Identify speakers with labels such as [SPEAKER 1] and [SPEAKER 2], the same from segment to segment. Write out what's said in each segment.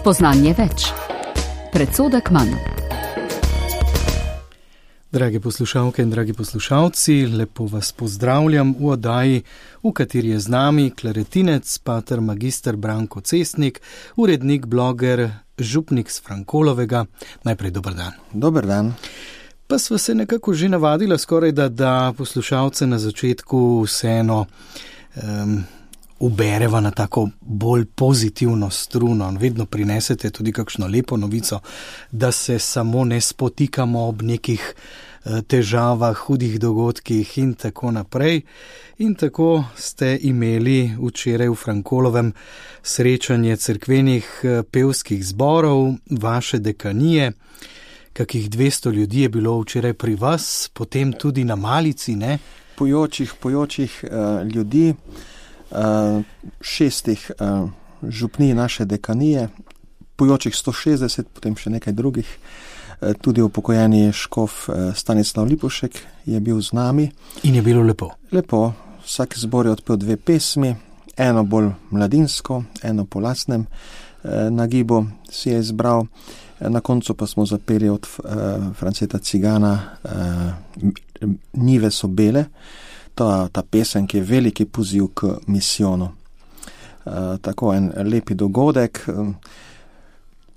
[SPEAKER 1] Spoznanje več. Predsodek manj.
[SPEAKER 2] Drage poslušalke in dragi poslušalci, lepo vas pozdravljam v oddaji, v kateri je z nami klaretinec, pater magister Branko Cestnik, urednik, bloger, župnik s Frankolovega. Najprej dober dan.
[SPEAKER 3] Dober dan.
[SPEAKER 2] Pa sva se nekako že navadila skoraj, da poslušalce na začetku vseeno ubereva na tako bolj pozitivno struno. Vedno prinesete tudi kakšno lepo novico, da se samo ne spotikamo ob nekih težavah, hudih dogodkih in tako naprej. In tako ste imeli včeraj v Frankolovem srečanje cerkvenih pevskih zborov, vaše dekanije. Kakih 200 ljudi je bilo včeraj pri vas, potem tudi na malici, ne?
[SPEAKER 3] Pojočih ljudi, 6 župnij naše dekanije, pojočih 160, potem še nekaj drugih. Tudi upokojeni škof Stanislav Lipušek je bil z nami.
[SPEAKER 2] In je bilo lepo?
[SPEAKER 3] Lepo. Vsak zbor je odpel 2 pesmi, eno bolj mladinsko, eno po lastnem nagibu si je izbral. Na koncu pa smo zapeli od Franceta Cigana Njive so bele. Ta pesem, ki je veliki poziv k misijonu. Tako en lepi dogodek.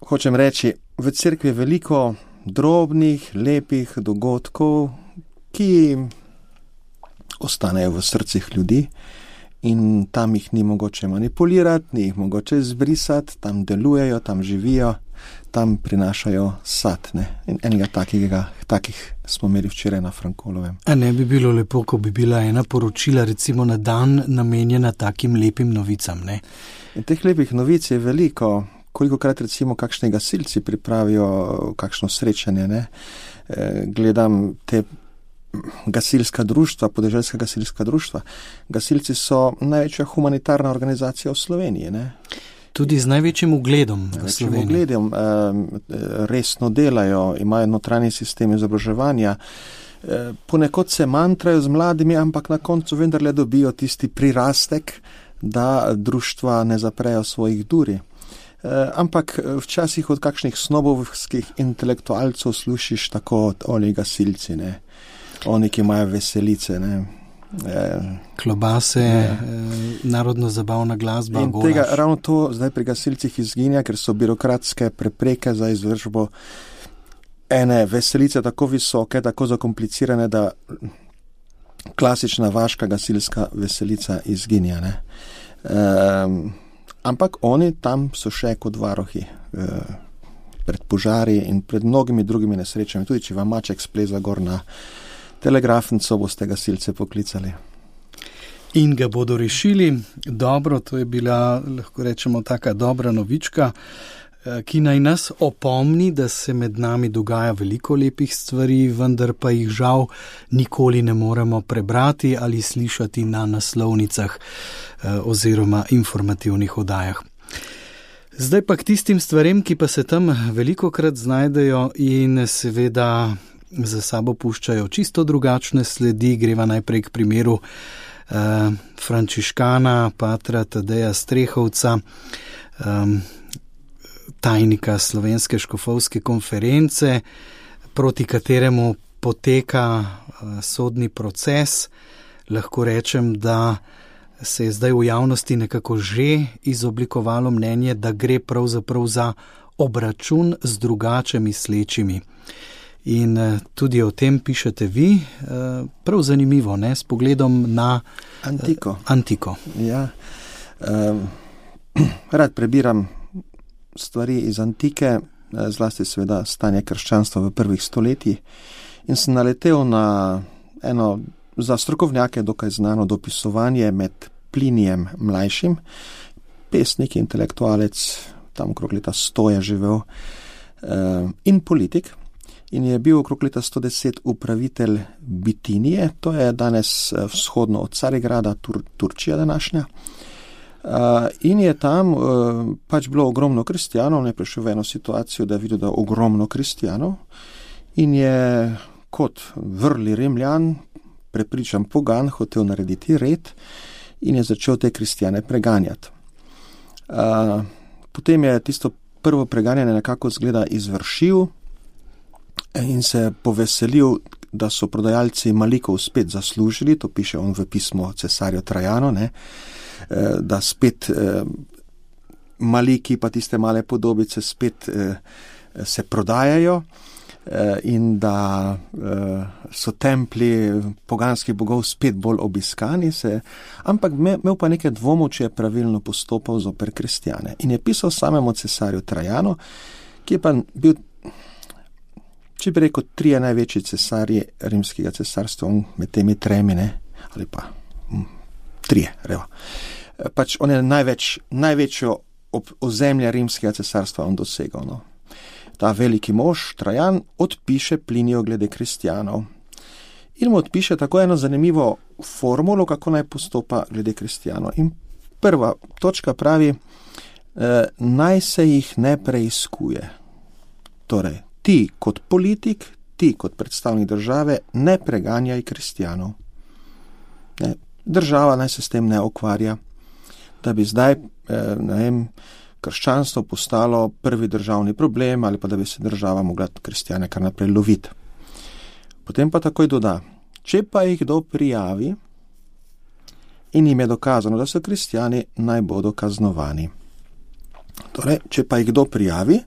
[SPEAKER 3] Hočem reči, v cerkvi je veliko drobnih, lepih dogodkov, ki ostanejo v srcih ljudi in tam jih ni mogoče manipulirati, ni jih mogoče izbrisati, tam delujejo, tam živijo, tam prinašajo sad. In enega takih smo imeli včeraj na Frankolovem.
[SPEAKER 2] A ne bi bilo lepo, ko bi bila ena poročila recimo na dan namenjena takim lepim novicam, ne?
[SPEAKER 3] In teh lepih novic je veliko. Kolikokrat recimo kakšni gasilci pripravijo kakšno srečanje, ne? Gledam te gasilska društva, podeželska gasilska društva. Gasilci so največja humanitarna organizacija v Sloveniji, ne?
[SPEAKER 2] Tudi z največjim ugledom v Sloveniji.
[SPEAKER 3] Resno delajo, imajo notranji sistem izobraževanja. Ponekod se mantrajo z mladimi, ampak na koncu vendarle dobijo tisti prirastek, da društva ne zaprejo svojih duri. Ampak včasih od kakšnih snobovskih intelektualcev slušiš tako oni gasilci, ne? Oni, ki imajo veselice, ne?
[SPEAKER 2] Klobase, narodno-zabavna glasba,
[SPEAKER 3] in
[SPEAKER 2] golaž.
[SPEAKER 3] Tega ravno to zdaj pri gasilcih izginja, ker so birokratske prepreke za izvršbo ene veselice tako visoke, tako zakomplicirane, da klasična vaška gasilska veselica izginja, ne? Ampak oni tam so še kot varohi pred požari in pred mnogimi drugimi nesrečami. Tudi če vam maček spleza gor na telegrafnico, boste gasilce poklicali.
[SPEAKER 2] In ga bodo rešili. Dobro, to je bila, lahko rečemo, taka dobra novička, ki naj nas opomni, da se med nami dogaja veliko lepih stvari, vendar pa jih žal nikoli ne moremo prebrati ali slišati na naslovnicah oziroma informativnih oddajah. Zdaj pa k tistim stvarem, ki pa se tam velikokrat znajdejo in seveda za sabo puščajo čisto drugačne sledi. Greva najprej k primeru frančiškana, patra Tadeja Strehovca, tajnika Slovenske škofovske konference, proti kateremu poteka sodni proces. Lahko rečem, da se je zdaj v javnosti nekako že izoblikovalo mnenje, da gre pravzaprav za obračun z drugače mislečimi. In tudi o tem pišete vi, prav zanimivo, ne, s pogledom na antiko.
[SPEAKER 3] Ja, rad prebiram stvari iz antike, zlasti seveda stanje krščanstva v prvih stoletjih, in sem naletel na eno za strokovnjake dokaj znano dopisovanje med Plinijem mlajšim, pesnik, intelektualec, tam okrog leta 100 je živel, in politik, in je bil okrog leta 110 upravitelj Bitinije, to je danes vzhodno od Carigrada, Turčija današnja. In je tam pač bilo ogromno kristijanov, ne prišel v eno situacijo, da je videl, da je ogromno kristijanov, in je kot vrli Rimljan, prepričan pogan, hotel narediti red in je začel te kristijane preganjati. Potem je tisto prvo preganjanje nekako zgleda izvršil in se poveselil, da so prodajalci Malikov spet zaslužili, to piše on v pismu cesarju Trajanu, ne, da spet Maliki pa tiste male podobice spet se prodajajo in da so templji poganskih bogov spet bolj obiskani, ampak imel pa nekaj dvomov, če je pravilno postopal zoper kristjane. In je pisal samemu cesarju Trajanu, ki je pa bil, če bi rekel, 3 največji cesarji rimskega cesarstva, med temi 3, ne, ali pa 3, revo. Pač on je največjo ozemlja rimskega cesarstva on dosegal, no. Ta veliki mož, Trajan, odpiše Pliniju glede kristjanov. In mu odpiše tako eno zanimivo formulo, kako naj postopa glede kristjanov. In prva točka pravi, naj se jih ne preiskuje. Torej, ti kot politik, ti kot predstavnik države, ne preganjaj kristjanov. Država naj se s tem ne ukvarja, da bi zdaj, krščanstvo postalo prvi državni problem ali pa da bi se država mogla kristjane kar naprej loviti. Potem pa takoj doda, če pa jih kdo prijavi in jim je dokazano, da so kristjani, naj bodo kaznovani. Torej, če pa jih kdo prijavi,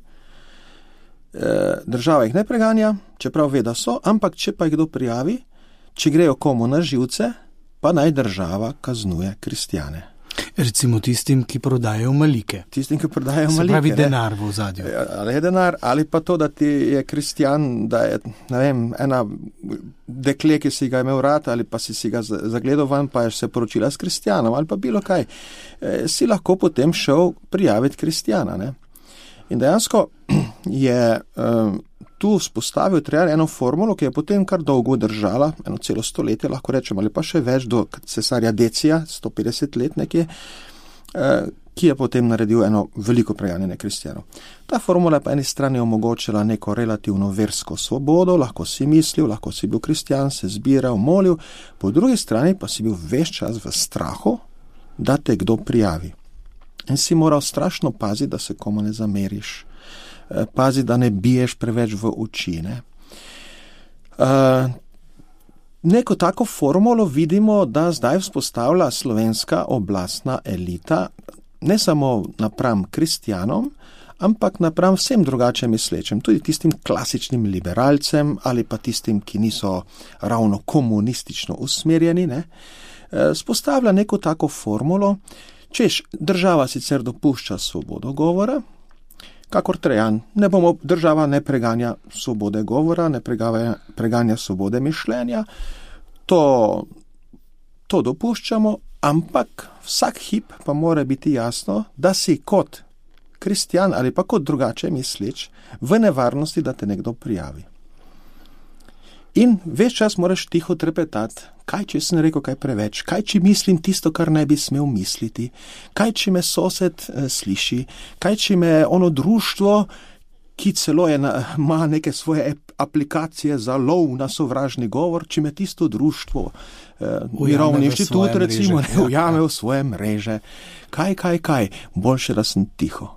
[SPEAKER 3] država jih ne preganja, čeprav ve, da so, ampak če pa jih kdo prijavi, če grejo komu na živce, pa naj država kaznuje kristjane.
[SPEAKER 2] Recimo tistim, ki prodajajo malike.
[SPEAKER 3] Tistim, ki prodajajo malike.
[SPEAKER 2] Se pravi denar v ozadju.
[SPEAKER 3] Ali je denar, ali pa to, da ti je kristjan, da je, ne vem, ena dekle, ki si ga imel rad, ali pa si ga zagledal van, pa je se poročila s kristjanom, ali pa bilo kaj. Si lahko potem šel prijaviti kristjana, ne. In dejansko je tu vzpostavil Trajan eno formulo, ki je potem kar dolgo držala, eno celo stoletje, lahko rečem, ali pa še več, do cesarja Decija, 150 let nekje, ki je potem naredil eno veliko preganjanje kristjanov. Ta formula je po eni strani omogočila neko relativno versko svobodo, lahko si mislil, lahko si bil kristjan, se zbiral, molil, po drugi strani pa si bil ves čas v strahu, da te kdo prijavi. In si moral strašno paziti, da se komu ne zameriš. Pazi, da ne biješ preveč v oči. Neko tako formulo vidimo, da zdaj vzpostavlja slovenska oblastna elita, ne samo napram kristjanom, ampak napram vsem drugače mislečem, tudi tistim klasičnim liberalcem ali pa tistim, ki niso ravno komunistično usmerjeni, ne. Vzpostavlja neko tako formulo, češ, država sicer dopušča svobodo govora, kakor Trajan, država ne preganja svobode govora, ne preganja svobode mišljenja, to dopuščamo, ampak vsak hip pa mora biti jasno, da si kot kristjan ali pa kot drugače misleč v nevarnosti, da te nekdo prijavi. In ves čas moraš tiho trepetati, kaj če sem rekel kaj preveč, kaj če mislim tisto, kar ne bi smel misliti, kaj če me sosed sliši, kaj če me ono društvo, ki celo ima neke svoje aplikacije za lov na sovražni govor, če me tisto društvo, mirovni inštitut recimo, ne ujame v svoje mreže. Kaj, boljše, da sem tiho.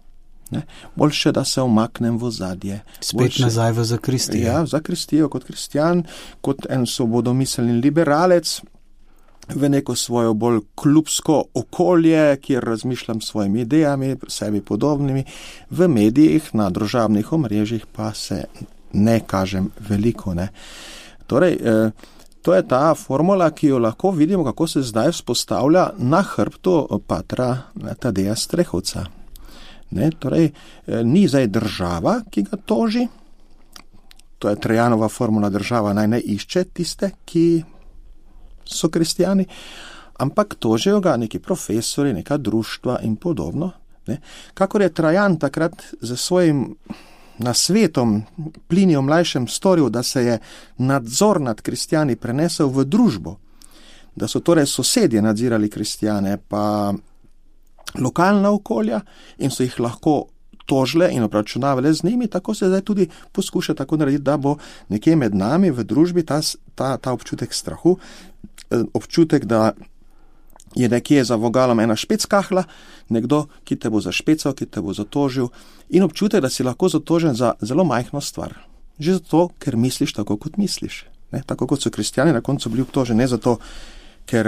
[SPEAKER 3] Ne? Boljše, da se omaknem v ozadje.
[SPEAKER 2] Spet nazaj v zakristijo.
[SPEAKER 3] Ja, v zakristijo kot kristjan, kot en svobodomiselni liberalec, v neko svojo bolj klubsko okolje, kjer razmišljam s svojimi idejami, sebi podobnimi, v medijih, na družabnih omrežjih pa se ne kažem veliko. Ne? Torej, to je ta formula, ki jo lahko vidimo, kako se zdaj vzpostavlja na hrbtu patra Tadeja Strehovca. Ne, torej, ni zdaj država, ki ga toži, to je Trajanova formula, država naj ne išče tiste, ki so kristjani, ampak tožijo ga neki profesori, neka društva in podobno. Ne. Kakor je Trajan takrat za svojim nasvetom Pliniju mlajšem storil, da se je nadzor nad kristjani prenesel v družbo, da so torej sosedje nadzirali kristjane, pa lokalna okolja in so jih lahko tožile in obračunavale z njimi, tako se zdaj tudi poskuša tako narediti, da bo nekje med nami v družbi ta občutek strahu, občutek, da je nekje za vogalom ena špeckahla, nekdo, ki te bo zašpecal, ki te bo zatožil in občutek, da si lahko zatožen za zelo majhno stvar. Že zato, ker misliš tako, kot misliš. Ne? Tako kot so kristjani na koncu bili obtoženi, ne zato, ker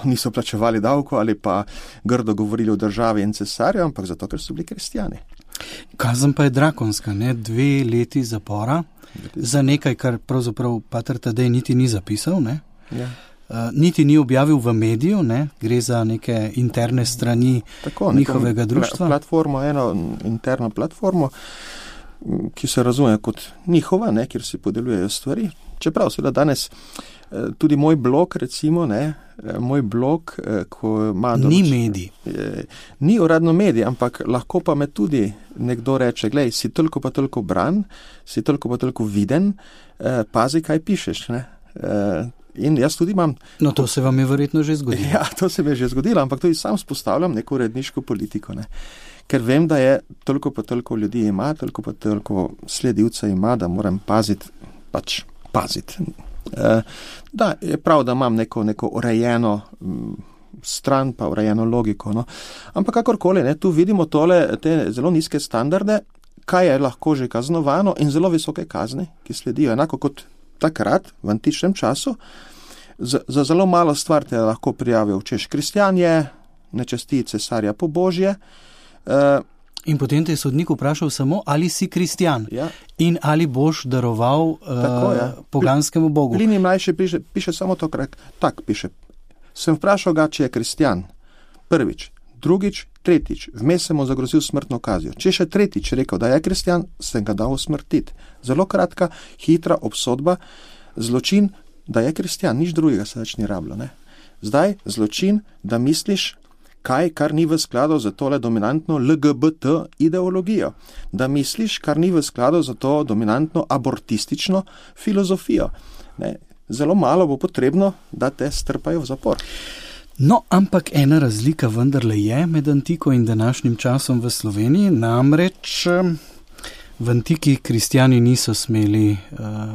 [SPEAKER 3] niso plačevali davko ali pa grdo govorili o državi in cesarju, ampak zato, ker so bili kristjani.
[SPEAKER 2] Kazen pa je drakonska, ne? 2 leti zapora za nekaj, kar pravzaprav pater Tadej niti ni zapisal, ne?
[SPEAKER 3] Ja.
[SPEAKER 2] Niti ni objavil v mediju, ne? Gre za neke interne strani njihovega društva.
[SPEAKER 3] Platformo, eno interno platformo, ki se razume kot njihova, ne? Kjer se podeljujejo stvari. Čeprav seveda danes tudi moj blog, recimo, ne? Moj blog, ko ima
[SPEAKER 2] ni medij.
[SPEAKER 3] Ni uradno medij, ampak lahko pa me tudi nekdo reče, glej, si toliko pa toliko bran, si toliko pa toliko viden, pazi, kaj pišeš, ne? In jaz tudi imam...
[SPEAKER 2] No, to se vam je verjetno že zgodilo.
[SPEAKER 3] Ja, to se mi je že zgodilo, ampak tudi sam spostavljam neko uredniško politiko, ne. Ker vem, da je toliko pa toliko ljudi ima, toliko pa toliko sledilcev ima, da moram paziti. Da, je prav, da imam neko urejeno stran, pa urejeno logiko, no. Ampak kakorkoli, ne, tu vidimo te zelo nizke standarde, kaj je lahko že kaznovano in zelo visoke kazni, ki sledijo. Enako kot takrat, v antičnem času, za zelo malo stvar te lahko prijavijo, češ kristjan je, ne časti cesarja po božje.
[SPEAKER 2] In potem te je sodnik vprašal samo, ali si kristjan,
[SPEAKER 3] ja.
[SPEAKER 2] In ali boš daroval poganskemu bogu.
[SPEAKER 3] Plini mlajši piše samo to, tak piše. Sem vprašal ga, če je kristjan. Prvič, drugič, tretjič. Vmes sem mu zagrozil smrtno kazijo. Če še tretjič rekel, da je kristjan, sem ga dal usmrtiti. Zelo kratka, hitra obsodba, zločin, da je kristjan, nič drugega se več ni rabilo, ne. Zdaj, zločin, da misliš kar ni v skladu za tole dominantno LGBT ideologijo. Da misliš, kar ni v skladu za to dominantno abortistično filozofijo. Ne. Zelo malo bo potrebno, da te strpajo v zapor.
[SPEAKER 2] No, ampak ena razlika vendarle je med antiko in današnjim časom v Sloveniji, namreč v antiki kristjani niso smeli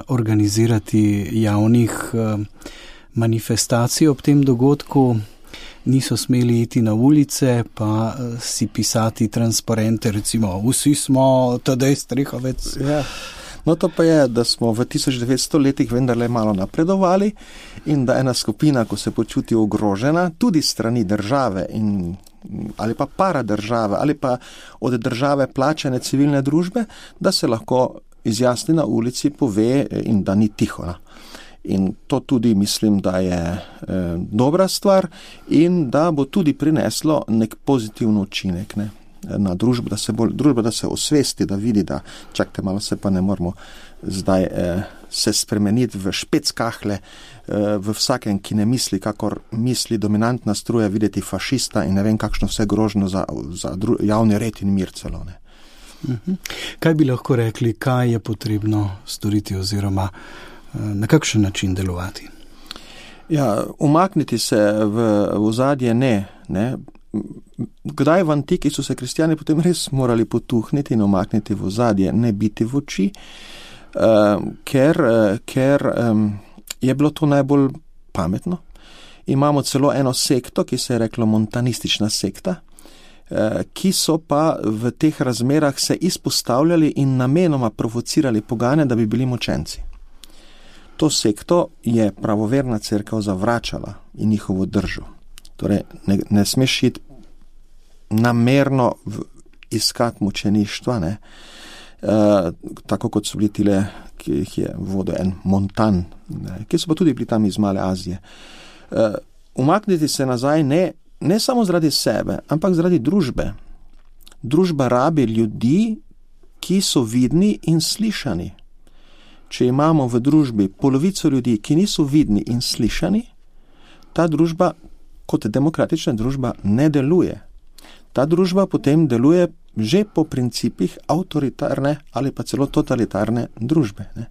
[SPEAKER 2] organizirati javnih manifestacij ob tem dogodku, niso smeli iti na ulice, pa si pisati transparente, recimo, vsi smo Tadej Strehovec.
[SPEAKER 3] Ja. No, to pa je, da smo v 1900 letih vendarle malo napredovali in da ena skupina, ko se počuti ogrožena, tudi strani države ali pa paradržave ali pa od države plačane civilne družbe, da se lahko izjasni na ulici, pove in da ni tiho. In to tudi mislim, da je dobra stvar in da bo tudi prineslo nek pozitiven učinek, ne, na družbo, da se osvesti, da vidi, da čakajte malo, se pa ne moramo zdaj se spremeniti v špeckahle v vsakem, ki ne misli, kakor misli dominantna struja, videti fašista in ne vem kakšno vse grožno za javni red in mir celo, ne.
[SPEAKER 2] Kaj bi lahko rekli, kaj je potrebno storiti oziroma na kakšen način delovati?
[SPEAKER 3] Ja, umakniti se v ozadje ne. Kdaj v antiki so se kristjani potem res morali potuhniti in umakniti v ozadje, ne biti v oči, ker je bilo to najbolj pametno. Imamo celo eno sekto, ki se je reklo montanistična sekta, ki so pa v teh razmerah se izpostavljali in namenoma provocirali pogane, da bi bili močenci. To sekto je pravoverna cerkev zavračala in njihovo držo. Torej, ne smeš iti namerno iskati mučeništva, ne. Tako kot so bili tile, ki jih je vodil en Montan, ne, ki so pa tudi bili tam iz Male Azije. Umakniti se nazaj ne samo zaradi sebe, ampak zaradi družbe. Družba rabi ljudi, ki so vidni in slišani. Če imamo v družbi polovico ljudi, ki niso vidni in slišani, ta družba kot demokratična družba ne deluje. Ta družba potem deluje že po principih avtoritarne ali pa celo totalitarne družbe, ne.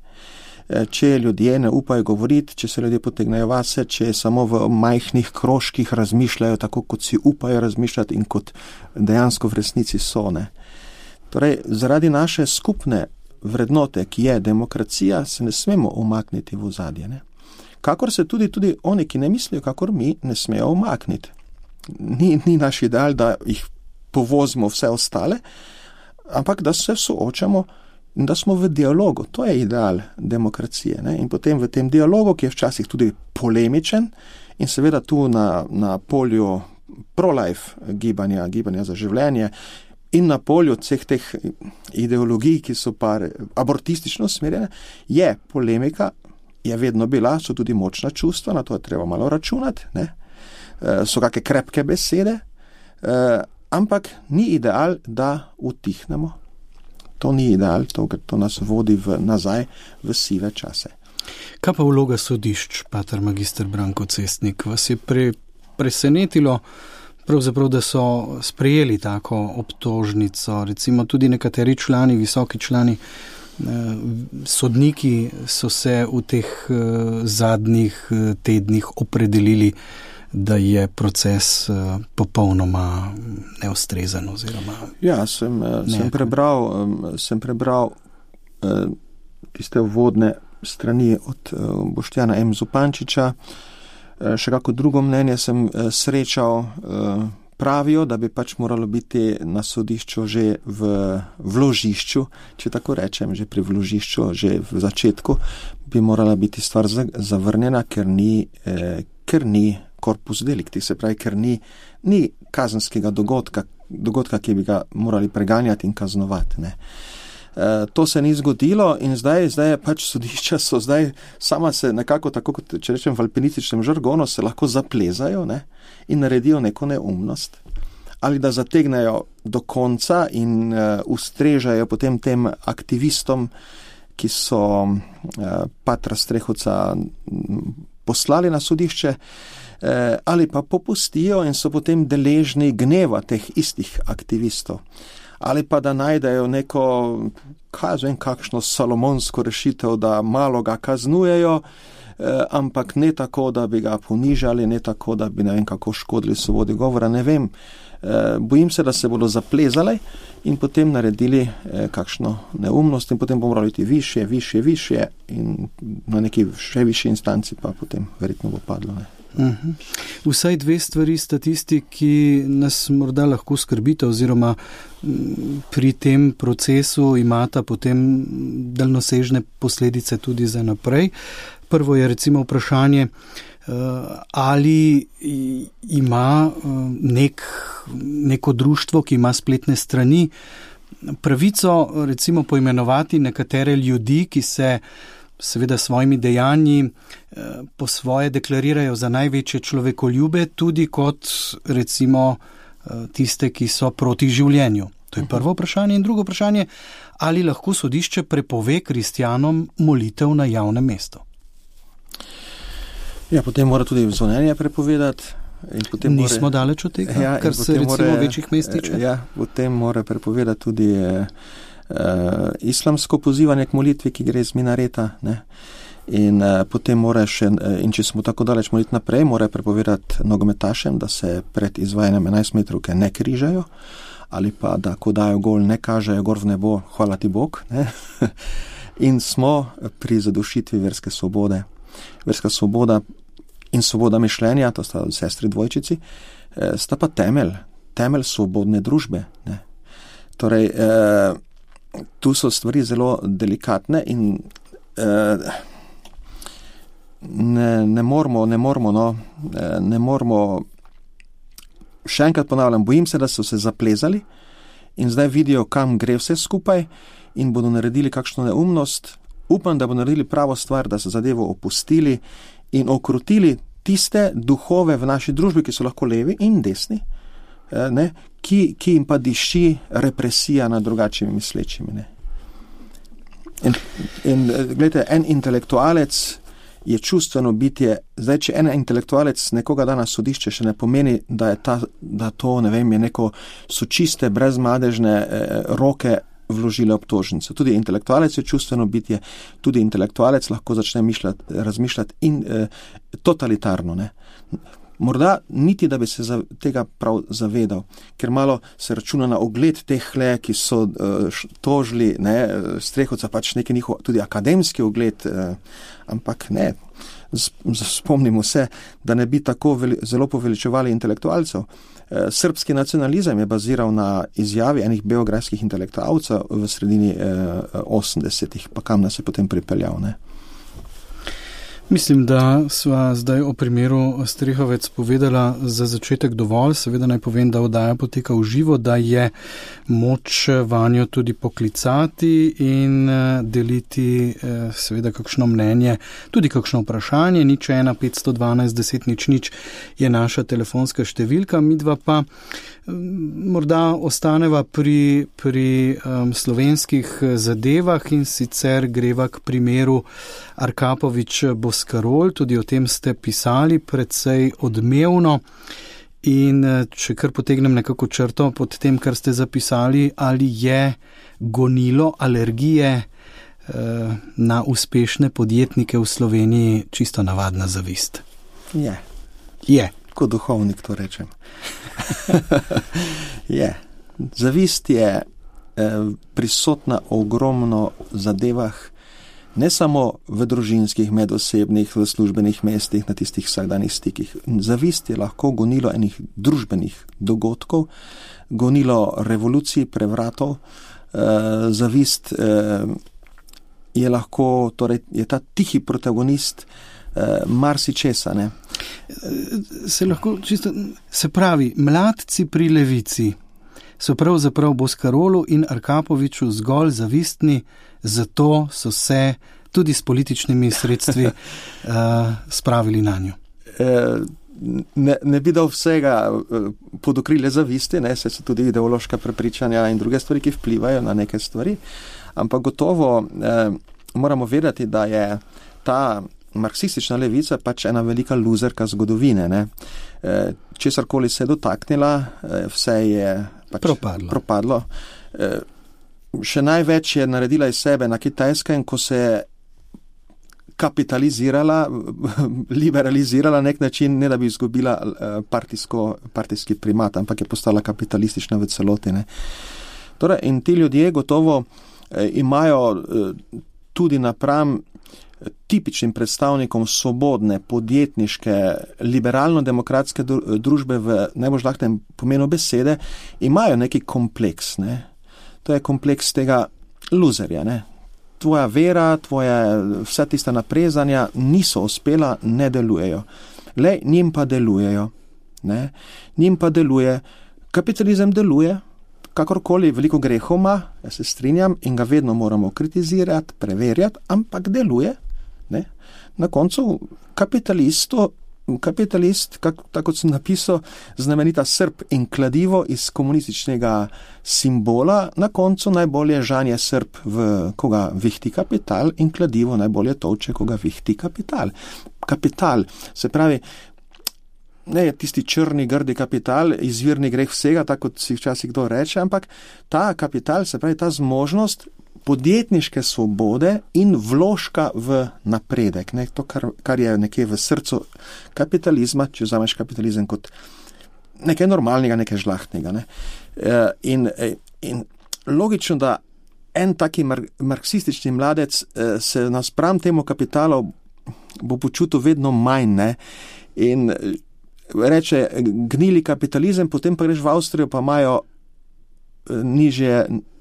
[SPEAKER 3] Če ljudje ne upajo govoriti, če se ljudje potegnejo vase, če samo v majhnih krožkih razmišljajo tako, kot si upajo razmišljati in kot dejansko v resnici so, ne. Torej, zaradi naše skupne vrednote, ki je demokracija, se ne smemo umakniti v ozadje, ne. kakor se tudi oni, ki ne mislijo, kakor mi, ne smejo umakniti. Ni naš ideal, da jih povozimo vse ostale, ampak da se soočamo in da smo v dialogu. To je ideal demokracije. Ne? In potem v tem dialogu, ki je včasih tudi polemičen in seveda tu na polju pro-life gibanja za življenje in na polju vseh teh ideologij, ki so pa abortistično usmerjene, je polemika, je vedno bila, so tudi močna čustva, na to je treba malo računati, ne? So kakšne krepke besede, ampak ni ideal, da utihnemo. To ni ideal, to nas vodi nazaj v sive čase.
[SPEAKER 2] Kaj pa vloga sodišč, pater magister Branko Cestnik? Vas je presenetilo, pravzaprav, da so sprejeli tako obtožnico, recimo tudi nekateri člani, visoki člani, sodniki so se v teh zadnjih tednih opredelili, da je proces popolnoma neustrezen oziroma...
[SPEAKER 3] Ja, sem prebral tiste uvodne strani od Boštjana M. Zupančiča. Še kako drugo mnenje sem srečal, pravijo, da bi pač moralo biti na sodišču že v vložišču, če tako rečem, že pri vložišču, že v začetku, bi morala biti stvar zavrnjena, ker ni corpus delicti, se pravi, ker ni kazenskega dogodka, ki bi ga morali preganjati in kaznovati, ne. To se ni zgodilo in zdaj je pač sodišča so zdaj sama se nekako tako, kot če rečem v alpinističnem žargonu, se lahko zaplezajo, ne, in naredijo neko neumnost. Ali da zategnejo do konca in ustrežajo potem tem aktivistom, ki so patra Strehovca poslali na sodišče, ali pa popustijo in so potem deležni gneva teh istih aktivistov. Ali pa da najdejo neko, kakšno salomonsko rešitev, da malo ga kaznujejo, ampak ne tako, da bi ga ponižali, ne tako, da bi ne vem kako škodili svobodi govora, ne vem. Bojim se, da se bodo zaplezali in potem naredili kakšno neumnost in potem bomo morali iti višje in na neki še višji instanci pa potem verjetno bo padlo, ne.
[SPEAKER 2] Vsaj dve stvari sta tisti, ki nas morda lahko skrbita oziroma pri tem procesu imata potem daljnosežne posledice tudi za naprej. Prvo je recimo vprašanje, ali ima neko društvo, ki ima spletne strani, pravico recimo poimenovati nekatere ljudi, ki se seveda svojimi dejanji po svoje deklarirajo za največje človekoljube, tudi kot recimo tiste, ki so proti življenju. To je prvo vprašanje. In drugo vprašanje, ali lahko sodišče prepove kristjanom molitev na javnem mestu?
[SPEAKER 3] Ja, potem mora tudi zvonjenje prepovedati.
[SPEAKER 2] Nismo daleč od tega, kar se recimo v večjih mestih tiče.
[SPEAKER 3] Ja, potem mora prepovedati tudi islamsko pozivanje k molitvi, ki gre iz minareta, ne. In potem mora še, in če smo tako daleč moliti naprej, mora prepovedati nogometašem, da se pred izvajanjem 11 metrovke ne križajo, ali pa da ko dajo gol, ne kažejo gor v nebo, hvala ti Bog, ne. In smo pri zadušitvi verske svobode. Verska svoboda in svoboda mišljenja, to sta sestri dvojčici, sta pa temelj svobodne družbe, ne. Torej, tu so stvari zelo delikatne in ne moramo, še enkrat ponavljam, bojim se, da so se zaplezali in zdaj vidijo, kam gre vse skupaj in bodo naredili kakšno neumnost. Upam, da bodo naredili pravo stvar, da so zadevo opustili in okrutili tiste duhove v naši družbi, ki so lahko levi in desni, ne, ki jim pa diši represija nad drugačnimi mislečimi. Ne. In gledajte, en intelektualec je čustveno bitje. Zdaj, če en intelektualec nekoga da na sodišče, še ne pomeni, da to, ne vem, je neko so čiste, brezmadežne roke vložile obtožnice. Tudi intelektualec je čustveno bitje, tudi intelektualec lahko začne razmišljati in totalitarno, ne. Morda niti, da bi se tega prav zavedal, ker malo se računa na ogled tehle, ki so tožili, Strehovca, pač neki njihov tudi akademski ogled, ampak ne. Spomnimo se, da ne bi tako zelo poveličevali intelektualcev. Srbski nacionalizem je baziral na izjavi enih beograjskih intelektualcev v sredini 80-ih, pa kam nas je potem pripeljal, ne?
[SPEAKER 2] Mislim, da sva zdaj o primeru Strehovec povedala za začetek dovolj. Seveda naj povem, da oddaja poteka v živo, da je moč vanjo tudi poklicati in deliti seveda kakšno mnenje, tudi kakšno vprašanje. 01 512 10 00 je naša telefonska številka. Midva pa morda ostaneva pri slovenskih zadevah in sicer greva k primeru Arkapovič-Boscarol. Tudi o tem ste pisali precej odmevno in če kar potegnem nekako črto pod tem, kar ste zapisali, ali je gonilo alergije na uspešne podjetnike v Sloveniji čisto navadna zavist?
[SPEAKER 3] Je. Kot duhovnik to rečem. Je. Zavist je prisotna ogromno zadevah, ne samo v družinskih, medosebnih, v službenih mestih, na tistih vsakdanjih stikih. Zavist je lahko gonilo enih družbenih dogodkov, gonilo revolucij, prevratov. Zavist je lahko, torej je ta tihi protagonist marsičesa, ne?
[SPEAKER 2] Se pravi, mladci pri levici so pravzaprav Boscarolu in Arkapoviču zgolj zavistni, zato so se tudi s političnimi sredstvi spravili na njo.
[SPEAKER 3] Ne bi dal vsega pod okrilje zavisti, ne, se so tudi ideološka prepričanja in druge stvari, ki vplivajo na neke stvari, ampak gotovo moramo vedeti, da je ta marksistična levica pač ena velika luzerka zgodovine, ne. Česarkoli se je dotaknila, vse je pač propadlo. Še največ je naredila iz sebe na Kitajskem, ko se je kapitalizirala, liberalizirala nek način, ne da bi izgubila partijski primat, ampak je postala kapitalistična v celoti, ne. Torej, in ti ljudje gotovo imajo tudi napram tipičnim predstavnikom svobodne, podjetniške, liberalno-demokratske družbe v najbolj žlahtnem pomenu besede, imajo neki kompleks, ne. To je kompleks tega luzerja, ne. Tvoja vera, vsa tista naprezanja niso uspela, ne delujejo. Njim pa delujejo, ne. Njim pa deluje, kapitalizem deluje, kakorkoli, veliko grehov ima, jaz se strinjam in ga vedno moramo kritizirati, preverjati, ampak deluje, ne. Na koncu kapitalist, tako kot sem napisal, znamenita Srb in kladivo iz komunističnega simbola, na koncu najbolje žanje Srb, koga vihti kapital, in kladivo najbolje toče, koga vihti kapital. Kapital, se pravi, ne je tisti črni, grdi kapital, izvirni greh vsega, tako kot si včasih kdo reče, ampak ta kapital, se pravi, ta zmožnost podjetniške svobode in vložka v napredek, ne, to, kar je nekje v srcu kapitalizma, če vzameš kapitalizem kot nekaj normalnega, nekaj žlahtnega, ne. In logično, da en taki marksistični mladec se naspram temu kapitalu bo počutil vedno manj, ne, in reče, gnili kapitalizem, potem pa greš v Avstrijo, pa imajo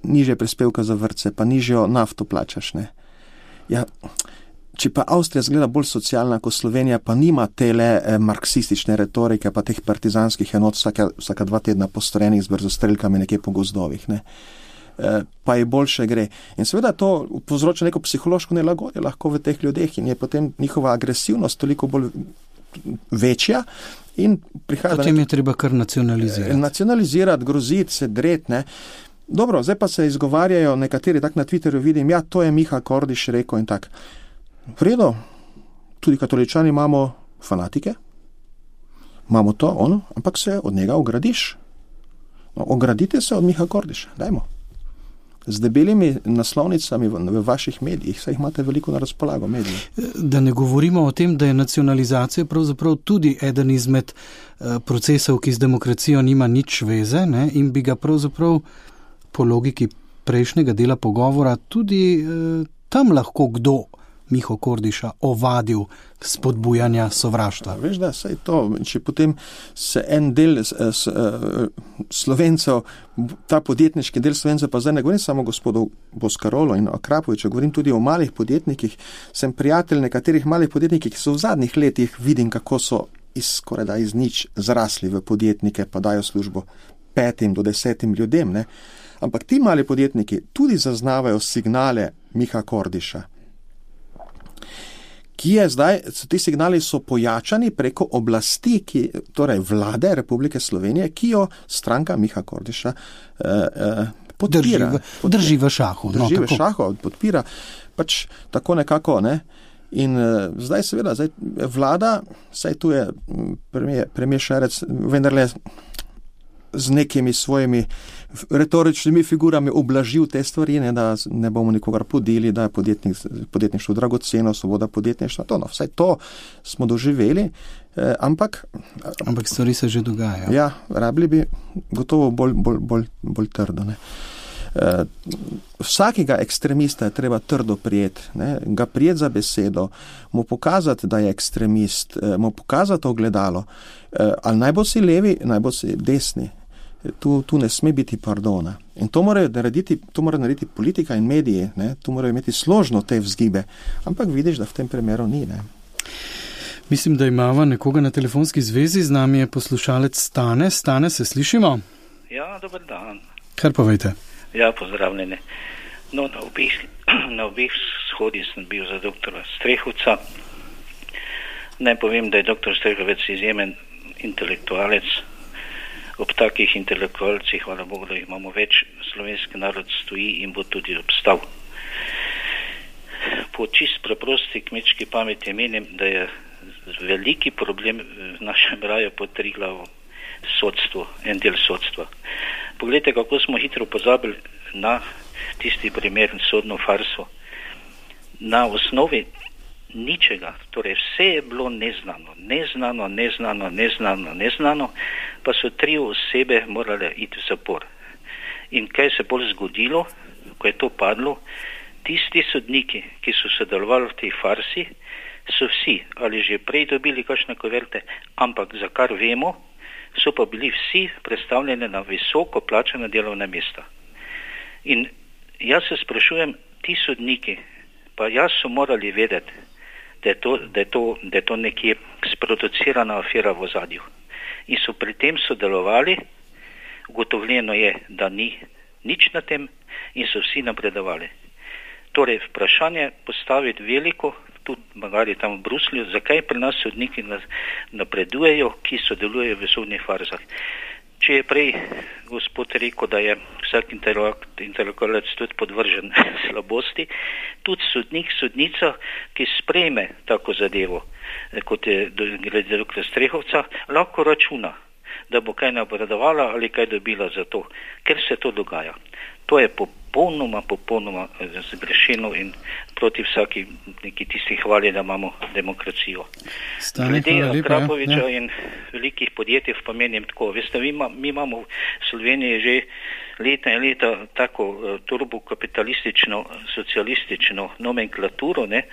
[SPEAKER 3] nižje prispevka za vrtce, pa nižjo nafto plačaš, ne. Ja, če pa Avstrija zgleda bolj socialna kot Slovenija, pa nima tele marksistične retorike, pa teh partizanskih enot vsaka 2 tedna postrojenih z brzostrelkami nekje po gozdovih, ne. Pa je boljše gre. In seveda to povzroča neko psihološko nelagodje lahko v teh ljudeh in je potem njihova agresivnost toliko bolj večja in prihaja...
[SPEAKER 2] Potem je treba kar nacionalizirati.
[SPEAKER 3] Nacionalizirati, groziti, se dreti, ne. Dobro, zdaj pa se izgovarjajo nekateri, tak na Twitterju vidim, ja, to je Miha Kordiš rekel in tak. V redu, tudi katoličani imamo fanatike, imamo to, ampak se od njega ogradiš. No, ogradite se od Miha Kordiša, dajmo. z debelimi naslovnicami v vaših medijih, saj jih imate veliko na razpolago mediji.
[SPEAKER 2] Da ne govorimo o tem, da je nacionalizacija pravzaprav tudi eden izmed procesov, ki z demokracijo nima nič veze, ne, in bi ga pravzaprav po logiki prejšnjega dela pogovora tudi tam lahko kdo Miho Kordiša ovadil spodbujanja sovraštva.
[SPEAKER 3] Veš, da saj to, če potem se en del Slovencev, ta podjetniški del Slovencev, pa zdaj ne govorim samo gospodu Boskarolo in Akrapoviču, govorim tudi o malih podjetnikih, sem prijatelj nekaterih malih podjetnikih, ki so v zadnjih letih vidim, kako so skorajda iz nič zrasli v podjetnike, pa dajo službo 5 do 10 ljudem, ne. Ampak ti mali podjetniki tudi zaznavajo signale Miha Kordiša, ki je zdaj, ti signali so pojačani preko oblasti, torej vlade Republike Slovenije, ki jo stranka Miha Kordiša podpira.
[SPEAKER 2] Drži v šahu.
[SPEAKER 3] Drži v šahu, podpira. Pač tako nekako, ne. In zdaj seveda, vlada, saj tu je premier Šarec, vendarle z nekimi svojimi retoričnimi figurami oblažil te stvari, ne, da ne bomo nikogar podili, da je podjetništvo dragoceno, svoboda podjetništva, to, no, vsaj to smo doživeli, ampak
[SPEAKER 2] stvari se že dogajajo.
[SPEAKER 3] Ja, rabili bi gotovo bolj trdo, ne. Vsakega ekstremista je treba trdo prijeti, ne, ga prijeti za besedo, mu pokazati, da je ekstremist, mu pokazati ogledalo, ali naj bo si levi, naj bo si desni. Tu ne sme biti pardona. In to mora narediti politika in mediji, ne? Tu morajo imeti složno te vzgibe. Ampak vidiš, da v tem primeru ni. Ne?
[SPEAKER 2] Mislim, da imamo nekoga na telefonski zvezi, z nami je poslušalec Stane. Stane, se slišimo?
[SPEAKER 4] Ja, dober dan.
[SPEAKER 2] Kar povejte?
[SPEAKER 4] Ja, pozdravljene. No, na obeh shodih sem bil za doktora Strehovca. Naj povem, da je doktor Strehovec izjemen intelektualec. Ob takih intelektualcih, hvala Bogu, da jih imamo več, slovenski narod stoji in bo tudi obstal. Po čist preprosti kmečki pameti menim, da je veliki problem v našem raju pod Triglavom sodstvo, en del sodstva. Poglejte, kako smo hitro pozabili na tisti primer sodno farso. Na osnovi ničega, torej vse je bilo neznano, pa so 3 osebe morale iti v zapor. In kaj se bolj zgodilo, ko je to padlo, tisti sodniki, ki so sodelovali v tej farsi, so vsi ali že prej dobili kakšne kuverte, ampak za kar vemo, so pa bili vsi predstavljeni na visoko plačana delovna mesta. In jaz se sprašujem, ti sodniki, pa jaz so morali vedeti, da je to nekje sproducirana afera v ozadju. In so pri tem sodelovali, ugotovljeno je, da ni nič na tem in so vsi napredovali. Torej, vprašanje postaviti veliko, tudi magari tam v Bruslju, zakaj pri nas sodniki napredujejo, ki sodelujejo v sodnih farzah. Če je prej gospod rekel, da je vsak intelektualec tudi podvržen slabosti, tudi sodnik, sodnica, ki sprejme tako zadevo, kot je glede doktora Strehovca, lahko računa, da bo kaj napredovala ali kaj dobila za to, ker se to dogaja. To je popolnoma zgrešeno in proti vsaki neki tisti hvali, da imamo demokracijo. Glede Akrapoviča in velikih podjetij pa menim tako. Veste, mi imamo v Sloveniji že leta in leta tako turbokapitalistično, socialistično nomenklaturo, ne,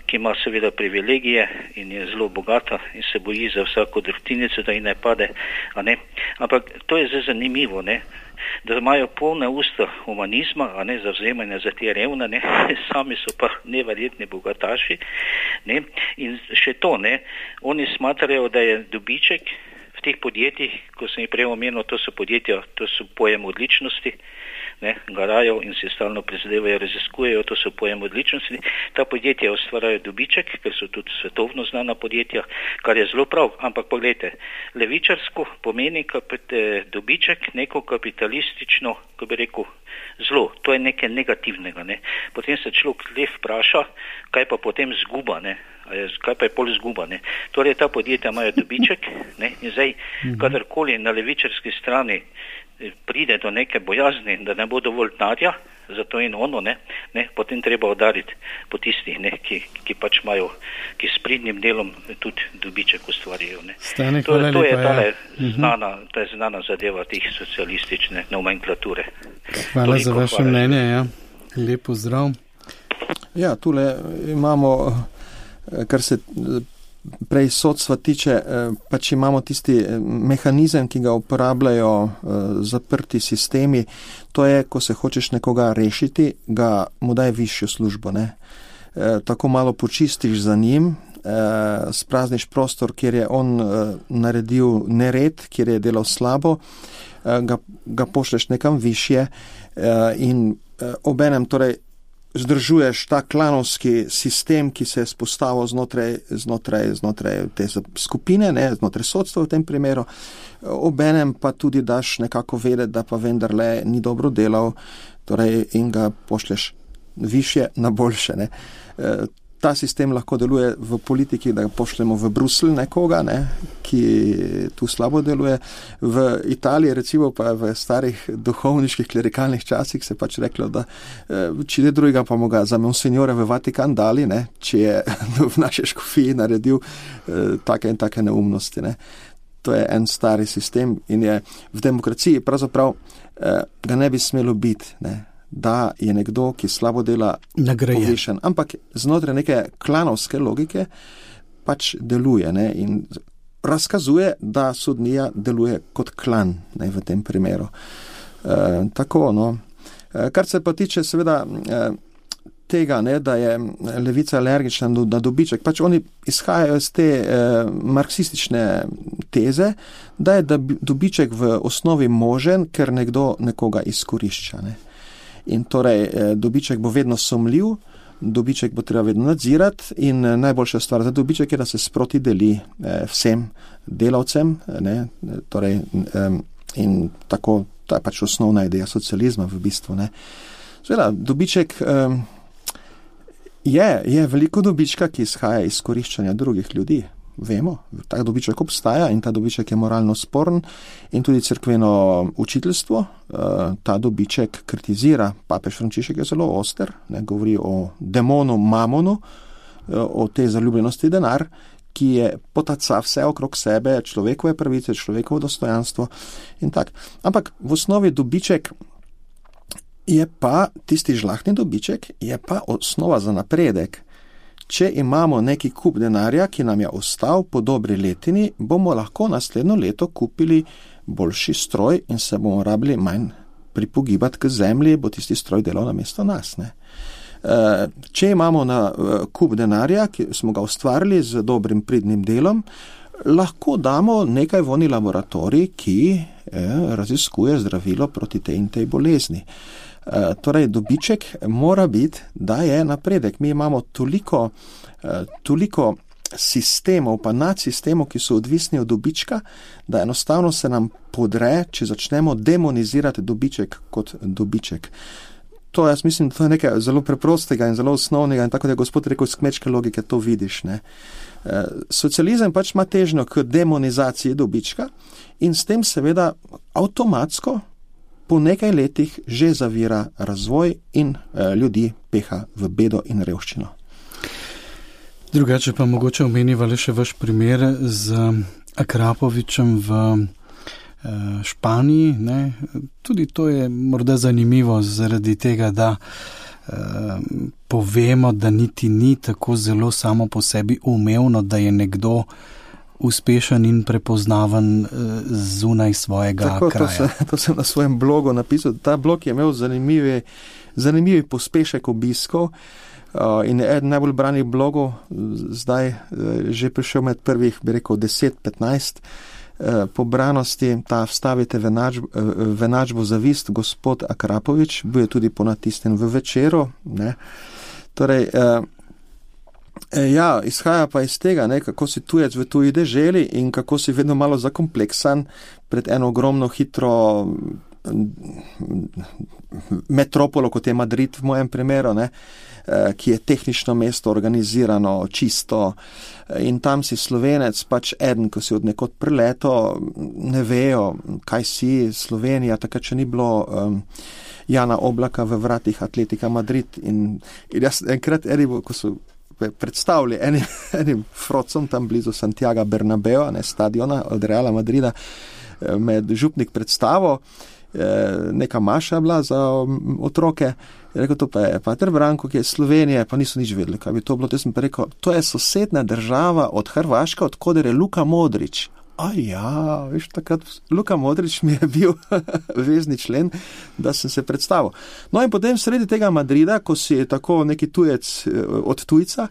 [SPEAKER 4] ki ima seveda privilegije in je zelo bogata in se boji za vsako drobtinico, da ji ne pade. A ne? Ampak to je zelo zanimivo, ne? Da imajo polna usta humanizma, a ne, zavzemanja za te revne, ne, sami so pa neverjetni bogataši, ne, in še to, ne, oni smatrajo, da je dobiček v teh podjetjih, ko sem jih prej omenil, to so podjetja, to so pojem odličnosti, ne, garajo in se stalno prizadevajo, raziskujejo, to so pojem odličnosti. Ta podjetja ustvarjajo dobiček, ker so tudi svetovno znana podjetja, kar je zelo prav, ampak pogledajte, levičarsko pomeni dobiček neko kapitalistično, ko bi rekel, zlo, to je nekaj negativnega, ne. Potem se človek le vpraša, kaj pa potem zguba, ne. Kaj pa je pol zguba, ne? Torej, ta podjetja imajo dobiček, ne? In zdaj, kadarkoli na levičarski strani pride do neke bojazni, da ne bo dovolj denarja, za to in ono, ne, potem treba udariti po tistih, ne, ki pač imajo, ki s pridnim delom tudi dobiček ustvarijo. Ne.
[SPEAKER 2] Stane,
[SPEAKER 4] to je
[SPEAKER 2] lepa,
[SPEAKER 4] ta znana zadeva teh socialistične nomenklature.
[SPEAKER 2] Hvala za vaše mnenje, ja. Lepo zdrav.
[SPEAKER 3] Ja, tule imamo, kar se prej sodstva tiče, pač imamo tisti mehanizem, ki ga uporabljajo zaprti sistemi. To je, ko se hočeš nekoga rešiti, mu daj višjo službo, ne. Tako malo počistiš za njim, sprazniš prostor, kjer je on naredil nered, kjer je delal slabo, ga pošleš nekam višje in obenem torej zdržuješ ta klanovski sistem, ki se je spostavil znotraj te skupine, ne, znotraj sodstva v tem primeru. Obenem pa tudi daš nekako vedeti, da pa vendarle ni dobro delal, torej in ga pošleš višje na boljše, ne. Ta sistem lahko deluje v politiki, da ga pošljemo v Bruselj nekoga, ne, ki tu slabo deluje. V Italiji, recimo pa v starih duhovniških klerikalnih časih se pač reklo, da če ne drugega pa mu ga za monsignore v Vatikan dali, ne, če je v naši škofiji naredil take in take neumnosti. Ne. To je en stari sistem in je v demokraciji pravzaprav ga ne bi smelo biti, ne. Da je nekdo, ki slabo dela, povešen. Ampak znotraj neke klanovske logike pač deluje, ne, in razkazuje, da sodnija deluje kot klan, ne, v tem primeru. Tako, no. Kar se pa tiče seveda tega, ne, da je levica alergična na dobiček, pač oni izhajajo iz te marksistične teze, da je dobiček v osnovi možen, ker nekdo nekoga izkorišča, ne. In torej dobiček bo vedno sumljiv, dobiček bo treba vedno nadzirati in najboljša stvar za dobiček je, da se sproti deli vsem delavcem, ne, torej in tako, ta je pač osnovna ideja socializma v bistvu, ne. Seveda, dobiček je veliko dobička, ki izhaja iz koriščanja drugih ljudi. Vemo, ta dobiček obstaja in ta dobiček je moralno sporen in tudi cerkveno učiteljstvo ta dobiček kritizira. Papež Frančišek je zelo oster, ne, govori o demonu mamonu, o tej zaljubljenosti denar, ki je potaca vse okrog sebe, človekove pravice, človekovo dostojanstvo in tak. Ampak v osnovi dobiček je pa, tisti žlahtni dobiček, je pa osnova za napredek. Če imamo neki kup denarja, ki nam je ostal po dobri letini, bomo lahko naslednjo leto kupili boljši stroj in se bomo rabili manj pripogibati k zemlji, bo tisti stroj delal namesto nas, ne. Če imamo na kup denarja, ki smo ga ustvarili z dobrim pridnim delom, lahko damo nekaj voni laboratorij, ki raziskuje zdravilo proti tej in tej bolezni. Torej, dobiček mora biti, da je napredek. Mi imamo toliko sistemov, pa nadsistemov, ki so odvisni od dobička, da enostavno se nam podre, če začnemo demonizirati dobiček kot dobiček. To jaz mislim, to je nekaj zelo preprostega in zelo osnovnega in tako da je gospod rekel, iz kmečke logike to vidiš, ne. Socializem pač ima težnjo k demonizaciji dobička in s tem seveda avtomatsko po nekaj letih že zavira razvoj in ljudi peha v bedo in revščino.
[SPEAKER 2] Drugače pa mogoče omeniva le še vaš primer z Akrapovičem v Španiji, ne? Tudi to je morda zanimivo zaradi tega, da povemo, da niti ni tako zelo samo po sebi umevno, da je nekdo uspešen in prepoznaven zunaj svojega kraja.
[SPEAKER 3] To sem na svojem blogu napisal. Ta blog je imel zanimivi pospešek obiskov in je eden najbolj branih blogov zdaj že prišel med prvih, bi rekel, 10-15 po branosti. Ta Vstavite v enačbo zavist, gospod Akrapovič, bil je tudi ponatisnjen v Večeru, ne. Torej, ja, izhaja pa iz tega, ne, kako si tujec v tuji deželi in kako si vedno malo zakompleksan pred eno ogromno hitro metropolo, kot je Madrid v mojem primeru, ne, ki je tehnično mesto, organizirano, čisto in tam si Slovenec, pač eden, ko si od nekod prileto, ne vejo, kaj si Slovenija, takrat še ni bilo Jana Oblaka v vratih Atletika Madrid in jaz enkrat, ko so predstavili enim frocom tam blizu Santiago Bernabeo, stadiona od Reala Madrida, med župnik predstavo, neka maša bila za otroke, rekel, to pa je Pater Branko, ki je iz Slovenije, pa niso nič vedeli, kaj bi to bilo. Te sem pa rekel, to je sosedna država od Hrvaške, od koder je Luka Modrić. Veš, takrat Luka Modrić mi je bil vezni člen, da sem se predstavil. No in potem sredi tega Madrida, ko si tako neki tujec od tujca,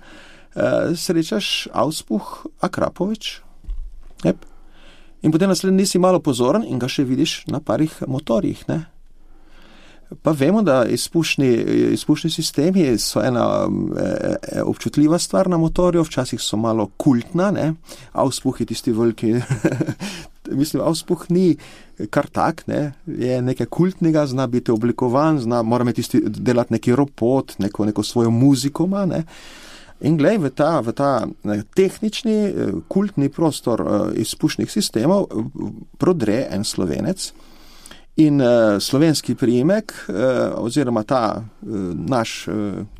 [SPEAKER 3] srečaš Auspuh Akrapovič. In potem naslednji nisi malo pozoren in ga še vidiš na parih motorjih, ne? Pa vemo, da izpušni sistemi so ena občutljiva stvar na motorju, včasih so malo kultna, ne? Auspuh je tisti veliki, mislim, Auspuh ni kar tak, ne? Je nekaj kultnega, zna biti oblikovan, mora imeti delati neki robot, neko svojo muziko ima, ne? In glej, v ta tehnični, kultni prostor izpušnih sistemov prodre en Slovenec in slovenski priimek, oziroma ta naš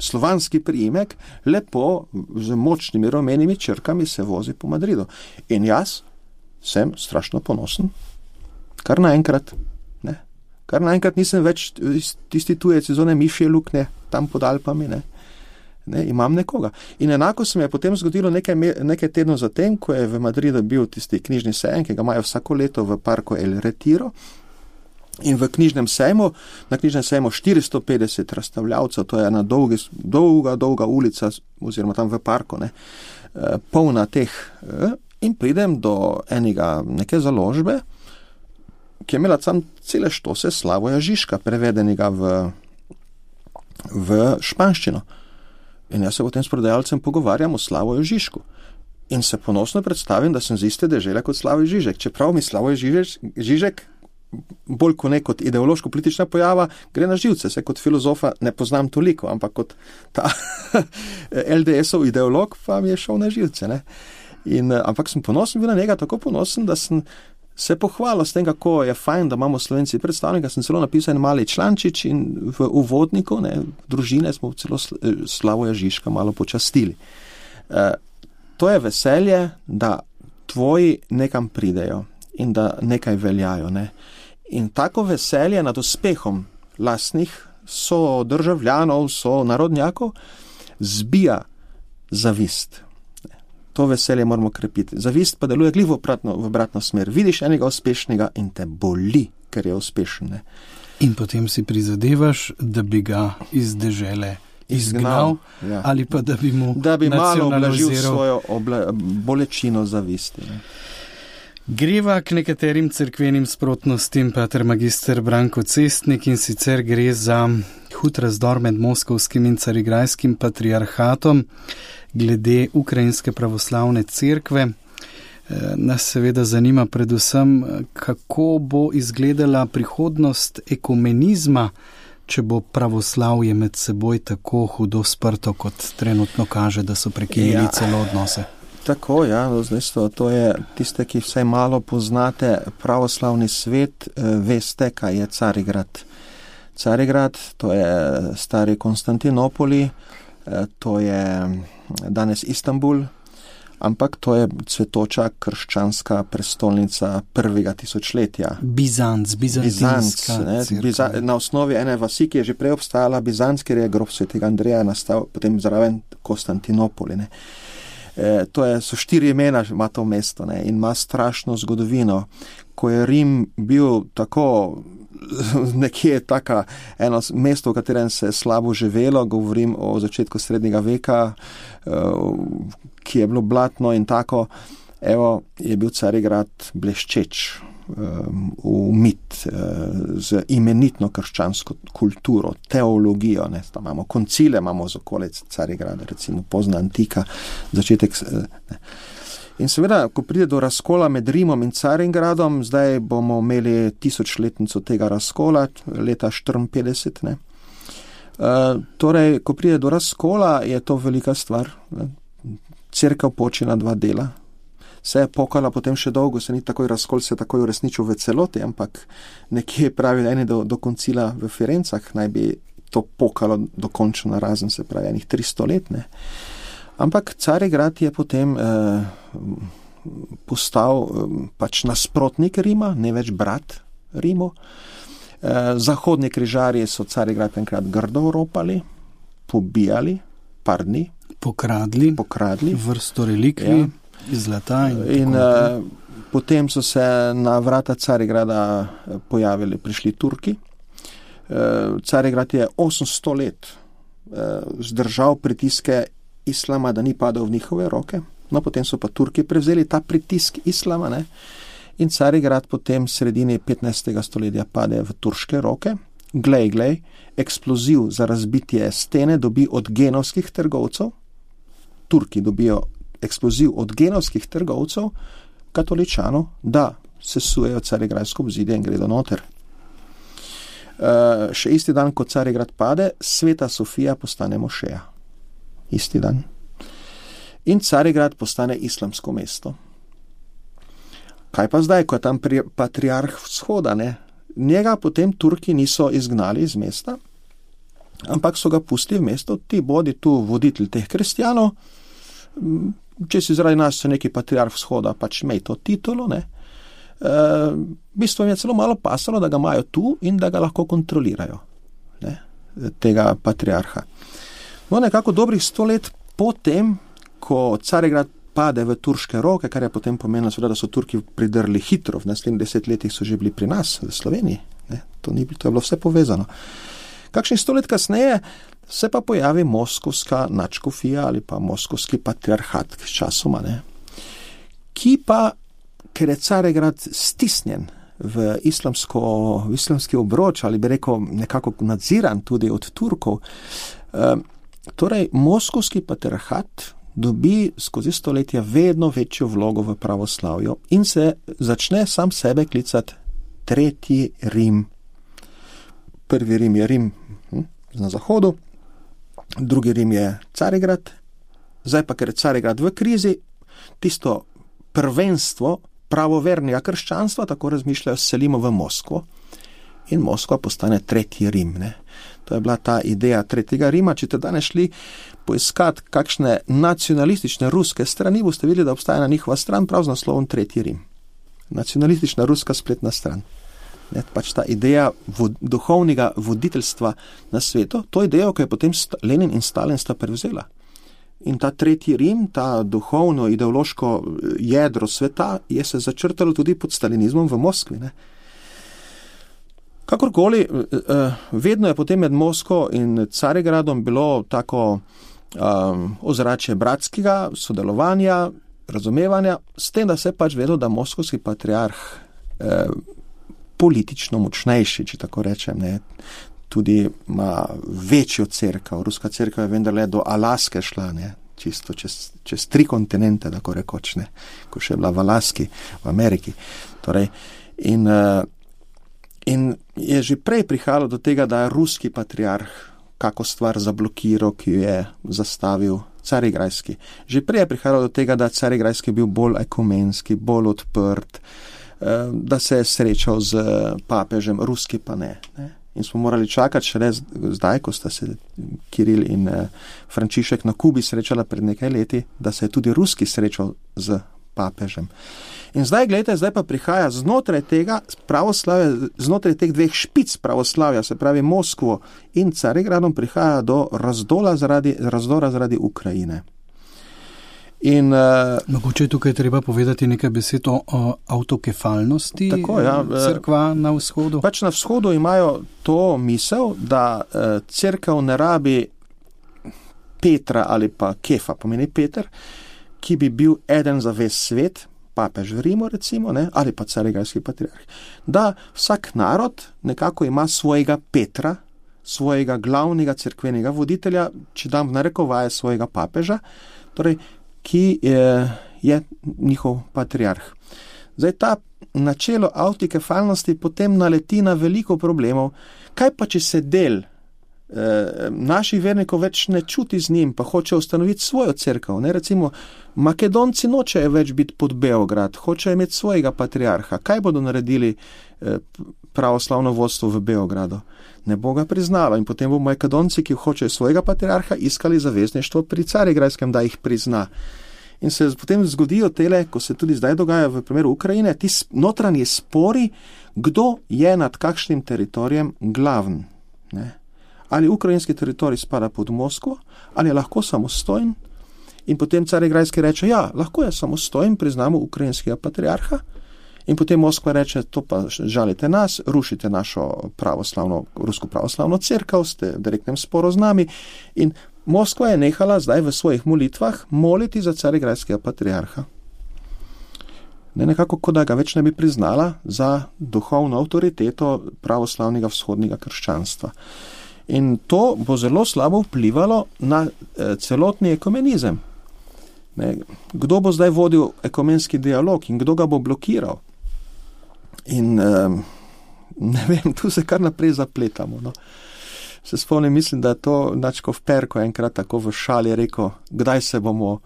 [SPEAKER 3] slovanski priimek, lepo z močnimi rumenimi črkami se vozi po Madridu. In jaz sem strašno ponosen, kar naenkrat, ne? Kar naenkrat nisem več tisti tujec iz one mišje luknje, tam pod Alpami, ne? Ne, imam nekoga. In enako se mi je potem zgodilo nekaj tednov zatem, ko je v Madridu bil tisti knjižni sejem, ki ga imajo vsako leto v parku El Retiro. In v knjižnem sejmu, na knjižnem sejmu 450 razstavljavcev, to je ena dolga ulica, oziroma tam v parku, ne, polna teh. In pridem do neke založbe, ki je imela tam cele štose Slavoja Žižka, prevedenega v španščino. In jaz se potem s prodajalcem pogovarjam o Slavoju Žižku. In se ponosno predstavim, da sem z iste dežele kot Slavoj Žižek. Čeprav mi Slavoj Žižek, bolj kot ideološko-politična pojava, gre na živce. Se kot filozofa ne poznam toliko, ampak kot ta LDS-ov ideolog pa mi je šel na živce. Ne? Ampak sem ponosen bil na njega, tako ponosen, da sem se pohvalil s tem, kako je fajn, da imamo Slovenci predstavnika. Sem celo napisal en mali člančič in v uvodniku, družine smo celo Slavoja Žižka malo počastili. To je veselje, da tvoji nekam pridejo in da nekaj veljajo. Ne? In tako veselje nad uspehom lastnih sodržavljanov, sonarodnjakov zbija zavist. To veselje moramo krepiti. Zavist pa deluje glih v obratno smer. Vidiš enega uspešnega in te boli, ker je uspešen. Ne?
[SPEAKER 2] In potem si prizadevaš, da bi ga iz dežele izgnal, ja. Ali pa da bi mu
[SPEAKER 3] malo oblažil svojo bolečino zavisti. Ne?
[SPEAKER 2] Greva k nekaterim cerkvenim sprotnostim, pater magister Branko Cestnik, in sicer gre za hud razdor med moskovskim in carigrajskim patriarhatom glede ukrajinske pravoslavne cerkve. Nas seveda zanima predvsem, kako bo izgledala prihodnost ekumenizma, če bo pravoslavje med seboj tako hudo sprto, kot trenutno kaže, da so prekinili celo odnose.
[SPEAKER 3] Tako, ja, to je tiste, ki vsaj malo poznate pravoslavni svet, veste, kaj je Carigrad. Carigrad, to je stari Konstantinopoli, to je danes Istanbul, ampak to je cvetoča krščanska prestolnica prvega tisočletja.
[SPEAKER 2] Bizantinska cerkev.
[SPEAKER 3] Na osnovi ene vasi, ki je že prej obstajala, Bizanc, ker je grob svetega Andreja nastal potem zraven Konstantinopoli. So 4 imena, ima to mesto, ne, in ima strašno zgodovino. Ko je Rim bil tako nekje eno mesto, v katerem se je slabo živelo, govorim o začetku srednjega veka, ki je bilo blatno in tako, je bil Carigrad bleščeč, umit z imenitno krščansko kulturo, teologijo, ne, tam imamo koncile, imamo z okolic Carigrada, recimo pozna antika, začetek. Ne. In seveda, ko pride do razkola med Rimom in Carigradom, zdaj bomo imeli 1000-letnico tega razkola, leta 54. Ne. Torej, ko pride do razkola, je to velika stvar. Ne. Cerkev poči na 2 dela. se je pokala potem še dolgo, se ni takoj razkol se takoj uresničil v celoti, ampak nekje pravi eni do koncila v Firencah naj bi to pokalo dokončno razen, se pravi enih 300 let, ne. Ampak Carigrad je potem postal pač nasprotnik Rima, ne več brat Rimu. Zahodni križarji so Carigrad enkrat grdo ropali, pobijali, par dni.
[SPEAKER 2] Pokradli vrsto relikvij iz zlata. In
[SPEAKER 3] potem so se na vrata Carigrada prišli Turki. Carigrad je 800 let zdržal pritiske islama, da ni padal v njihove roke. No, potem so pa Turki prevzeli ta pritisk islama, ne? In Carigrad potem v sredini 15. stoletja pade v turške roke. Glej, eksploziv za razbitje stene dobi od genovskih trgovcev. Turki dobijo eksploziv od genovskih trgovcev, katoličanov, da sesujejo Carigradsko obzidje in gredo noter. Še isti dan, ko Carigrad pade, Sveta Sofija postane mošeja. Isti dan. In Carigrad postane islamsko mesto. Kaj pa zdaj, ko je tam patriarh vzhoda, ne? Njega potem Turki niso izgnali iz mesta, ampak so ga pustili v mesto, ti bodi tu voditelj teh kristjanov, če si zaradi nas se neki patriarh vzhoda, pač imej to titulo, ne? V bistvu je celo malo pasalo, da ga imajo tu in da ga lahko kontrolirajo, ne? Tega patriarha. No, nekako dobrih 100 let potem, ko Carigrad pade v turške roke, kar je potem pomenilo, da so Turki pridrli hitro, v naslednjih 10 letih so že bili pri nas, v Sloveniji, ne? To je bilo vse povezano. Kakšnih 100 let kasneje se pa pojavi moskovska nadškofija ali pa moskovski patriarhat s časoma, ne? Ki pa, ker je Carigrad stisnjen v islamski obroč, ali bi rekel nekako nadziran tudi od Turkov, torej moskovski patriarhat dobi skozi stoletja vedno večjo vlogo v pravoslavju in se začne sam sebe klicati Tretji Rim. Prvi Rim je Rim na zahodu, drugi Rim je Carigrad, zdaj pa, ker je Carigrad v krizi, tisto prvenstvo pravovernega krščanstva, tako razmišljajo, selimo v Moskvo in Moskva postane Tretji Rim, ne. To je bila ta ideja Tretjega Rima. Če te danes šli poiskati kakšne nacionalistične ruske strani, boste videli, da obstaja na njihova stran prav z naslovom Tretji Rim. Nacionalistična ruska spletna stran. Ne, pač ta ideja duhovnega voditeljstva na svetu, to idejo, ki je potem Lenin in Stalin sta prevzela. In ta Tretji Rim, ta duhovno ideološko jedro sveta, je se začrtalo tudi pod stalinizmom v Moskvi, ne. Kakorkoli, vedno je potem med Moskvo in Carigradom bilo tako ozračje bratskega sodelovanja, razumevanja, s tem, da se pač vedelo, da moskovski patriarh politično močnejši, če tako rečem, ne, tudi ima večjo cerkev. Ruska cerkev je vendarle do Alaske šla, ne, čisto čez 3 kontinente, tako rekoč, ne, ko še je bila v Alaski, v Ameriki. Torej, in je že prej prihajalo do tega, da je ruski patriarh kako stvar zablokiral, ki jo je zastavil Carigrajski. Že prej je prihajalo do tega, da Carigrajski bil bolj ekumenski, bolj odprt, da se je srečal z papežem, ruski pa ne. In smo morali čakati šele zdaj, ko sta se Kiril in Frančišek na Kubi srečala pred nekaj leti, da se je tudi ruski srečal z papežem. In zdaj, gledajte, zdaj pa prihaja znotraj tega pravoslavja, znotraj teh dveh špic pravoslavja, se pravi Moskvo in Carigradom, prihaja do razdora zaradi Ukrajine. In,
[SPEAKER 2] mogoče je tukaj treba povedati nekaj besed o avtokefalnosti cerkva na vzhodu.
[SPEAKER 3] Pač na vzhodu imajo to misel, da cerkev ne rabi Petra ali pa Kefa, pomeni Peter, ki bi bil eden za ves svet, papež v Rimu recimo, ne, ali pa Carigrajski patriarh. Da vsak narod nekako ima svojega Petra, svojega glavnega cerkvenega voditelja, če dam v narekovaje svojega papeža, torej ki je njihov patriarh. Zdaj ta načelo avtokefalnosti potem naleti na veliko problemov. Kaj pa, če se del naših vernikov več ne čuti z njim, pa hoče ustanoviti svojo cerkev. Ne? Recimo, Makedonci nočejo več biti pod Beograd, hočejo imeti svojega patriarha. Kaj bodo naredili pravoslavno vodstvo v Beogradu? Ne bo ga priznalo in potem bo Makedonci, ki hočejo svojega patriarha, iskali zavezništvo pri Carigrajskem, da jih prizna. In se potem zgodijo tele, ko se tudi zdaj dogaja v primeru Ukrajine, ti notranji spori, kdo je nad kakšnim teritorijem glaven. Ne? Ali ukrajinski teritorij spada pod Moskvo, ali je lahko samostojen. In potem Carigrajski reče, ja, lahko je samostojen, priznamo ukrajinskega patriarha. In potem Moskva reče, to pa žalite nas, rušite našo rusko pravoslavno cerkev, ste v direktnem sporu z nami. In Moskva je nehala zdaj v svojih molitvah moliti za Carigrajskega patriarha. Nekako, kot da ga več ne bi priznala za duhovno avtoriteto pravoslavnega vzhodnega krščanstva. In to bo zelo slabo vplivalo na celotni ekumenizem. Kdo bo zdaj vodil ekumenski dialog in kdo ga bo blokiral? In ne vem, tu se kar naprej zapletamo. No. Se spomnim, mislim, da je to Načkov Perko enkrat tako v šali rekel, kdaj se bomo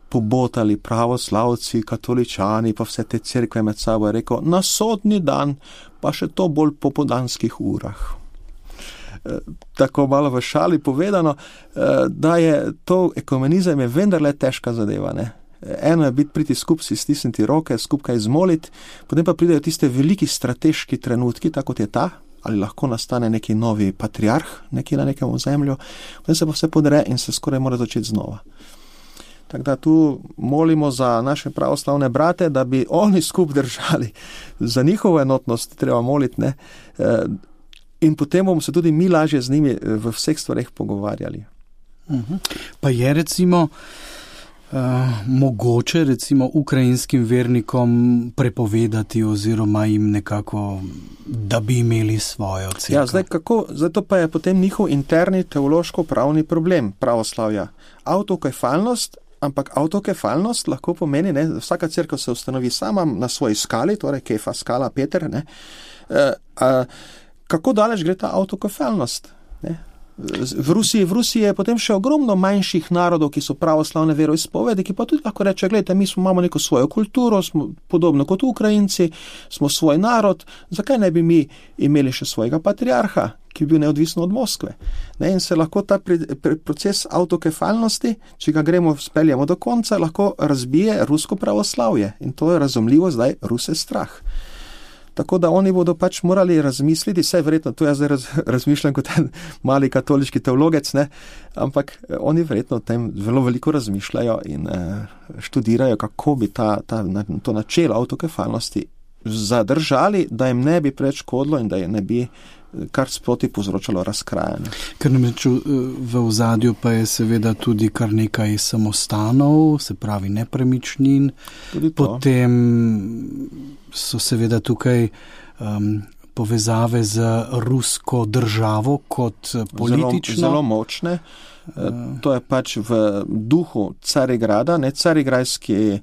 [SPEAKER 3] pobotali pravoslavci, katoličani, pa vse te cerkve med sabo, je rekel, na sodni dan, pa še to bolj po podanskih urah. Tako malo v šali povedano, da je to ekumenizem je vendarle težka zadeva. Ne? Eno je priti skupaj, si stisniti roke, skupaj izmoliti, potem pa pridejo tiste veliki strateški trenutki, tako kot je ta, ali lahko nastane neki novi patriarh, neki na nekem ozemlju, potem se pa vse podre in se skoraj mora začeti znova. Tako da tu molimo za naše pravoslavne brate, da bi oni skupaj držali. Za njihovo enotnost treba moliti, ne? In potem bomo se tudi mi lažje z njimi v vseh stvareh pogovarjali.
[SPEAKER 2] Pa je recimo mogoče recimo ukrajinskim vernikom prepovedati oziroma jim nekako, da bi imeli svojo cerkev?
[SPEAKER 3] Ja, zdaj kako, zato pa je potem njihov interni teološko-pravni problem pravoslavja. Autokefalnost, ampak autokefalnost lahko pomeni, ne, vsaka cerkev se ustanovi sama na svoji skali, torej Kefa, skala, Peter, ne. Kako daleč gre ta autokefalnost? Ne? V Rusiji je potem še ogromno manjših narodov, ki so pravoslavne veroizpovedi, ki pa tudi lahko reče, gledajte, mi imamo neko svojo kulturo, smo podobno kot Ukrajinci, smo svoj narod, zakaj ne bi mi imeli še svojega patriarha, ki bi bil neodvisno od Moskve? Ne? In se lahko ta proces autokefalnosti, če ga speljamo do konca, lahko razbije rusko pravoslavje. In to je razumljivo zdaj Ruse strah. Tako da oni bodo pač morali razmisliti, vse verjetno, to jaz zdaj razmišljam kot en mali katoliški teologec, ne? Ampak oni verjetno o tem zelo veliko razmišljajo in študirajo, kako bi to načelo autokefalnosti zadržali, da jim ne bi preveč škodilo in da jim ne bi kar sproti povzročalo razkrajanje.
[SPEAKER 2] Ker namreč v ozadju pa je seveda tudi kar nekaj samostanov, se pravi nepremičnin, potem so seveda tukaj povezave z rusko državo kot politično.
[SPEAKER 3] Zelo močne. To je pač v duhu Carigrada. Carigrajski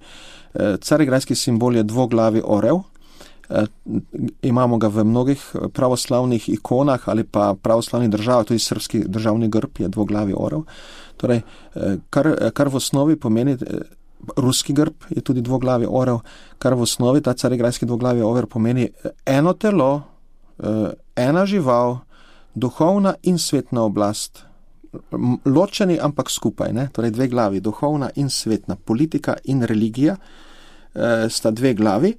[SPEAKER 3] simbol je dvoglavi orel. Imamo ga v mnogih pravoslavnih ikonah ali pa pravoslavnih državah, tudi srpski državni grb je dvoglavi orel. Torej, kar v osnovi pomeni, ruski grb je tudi dvoglavi orel, kar v osnovi ta carigrajski dvoglavi orel pomeni eno telo, ena žival, duhovna in svetna oblast. Ločeni, ampak skupaj, ne? Torej dve glavi, duhovna in svetna, politika in religija sta dve glavi,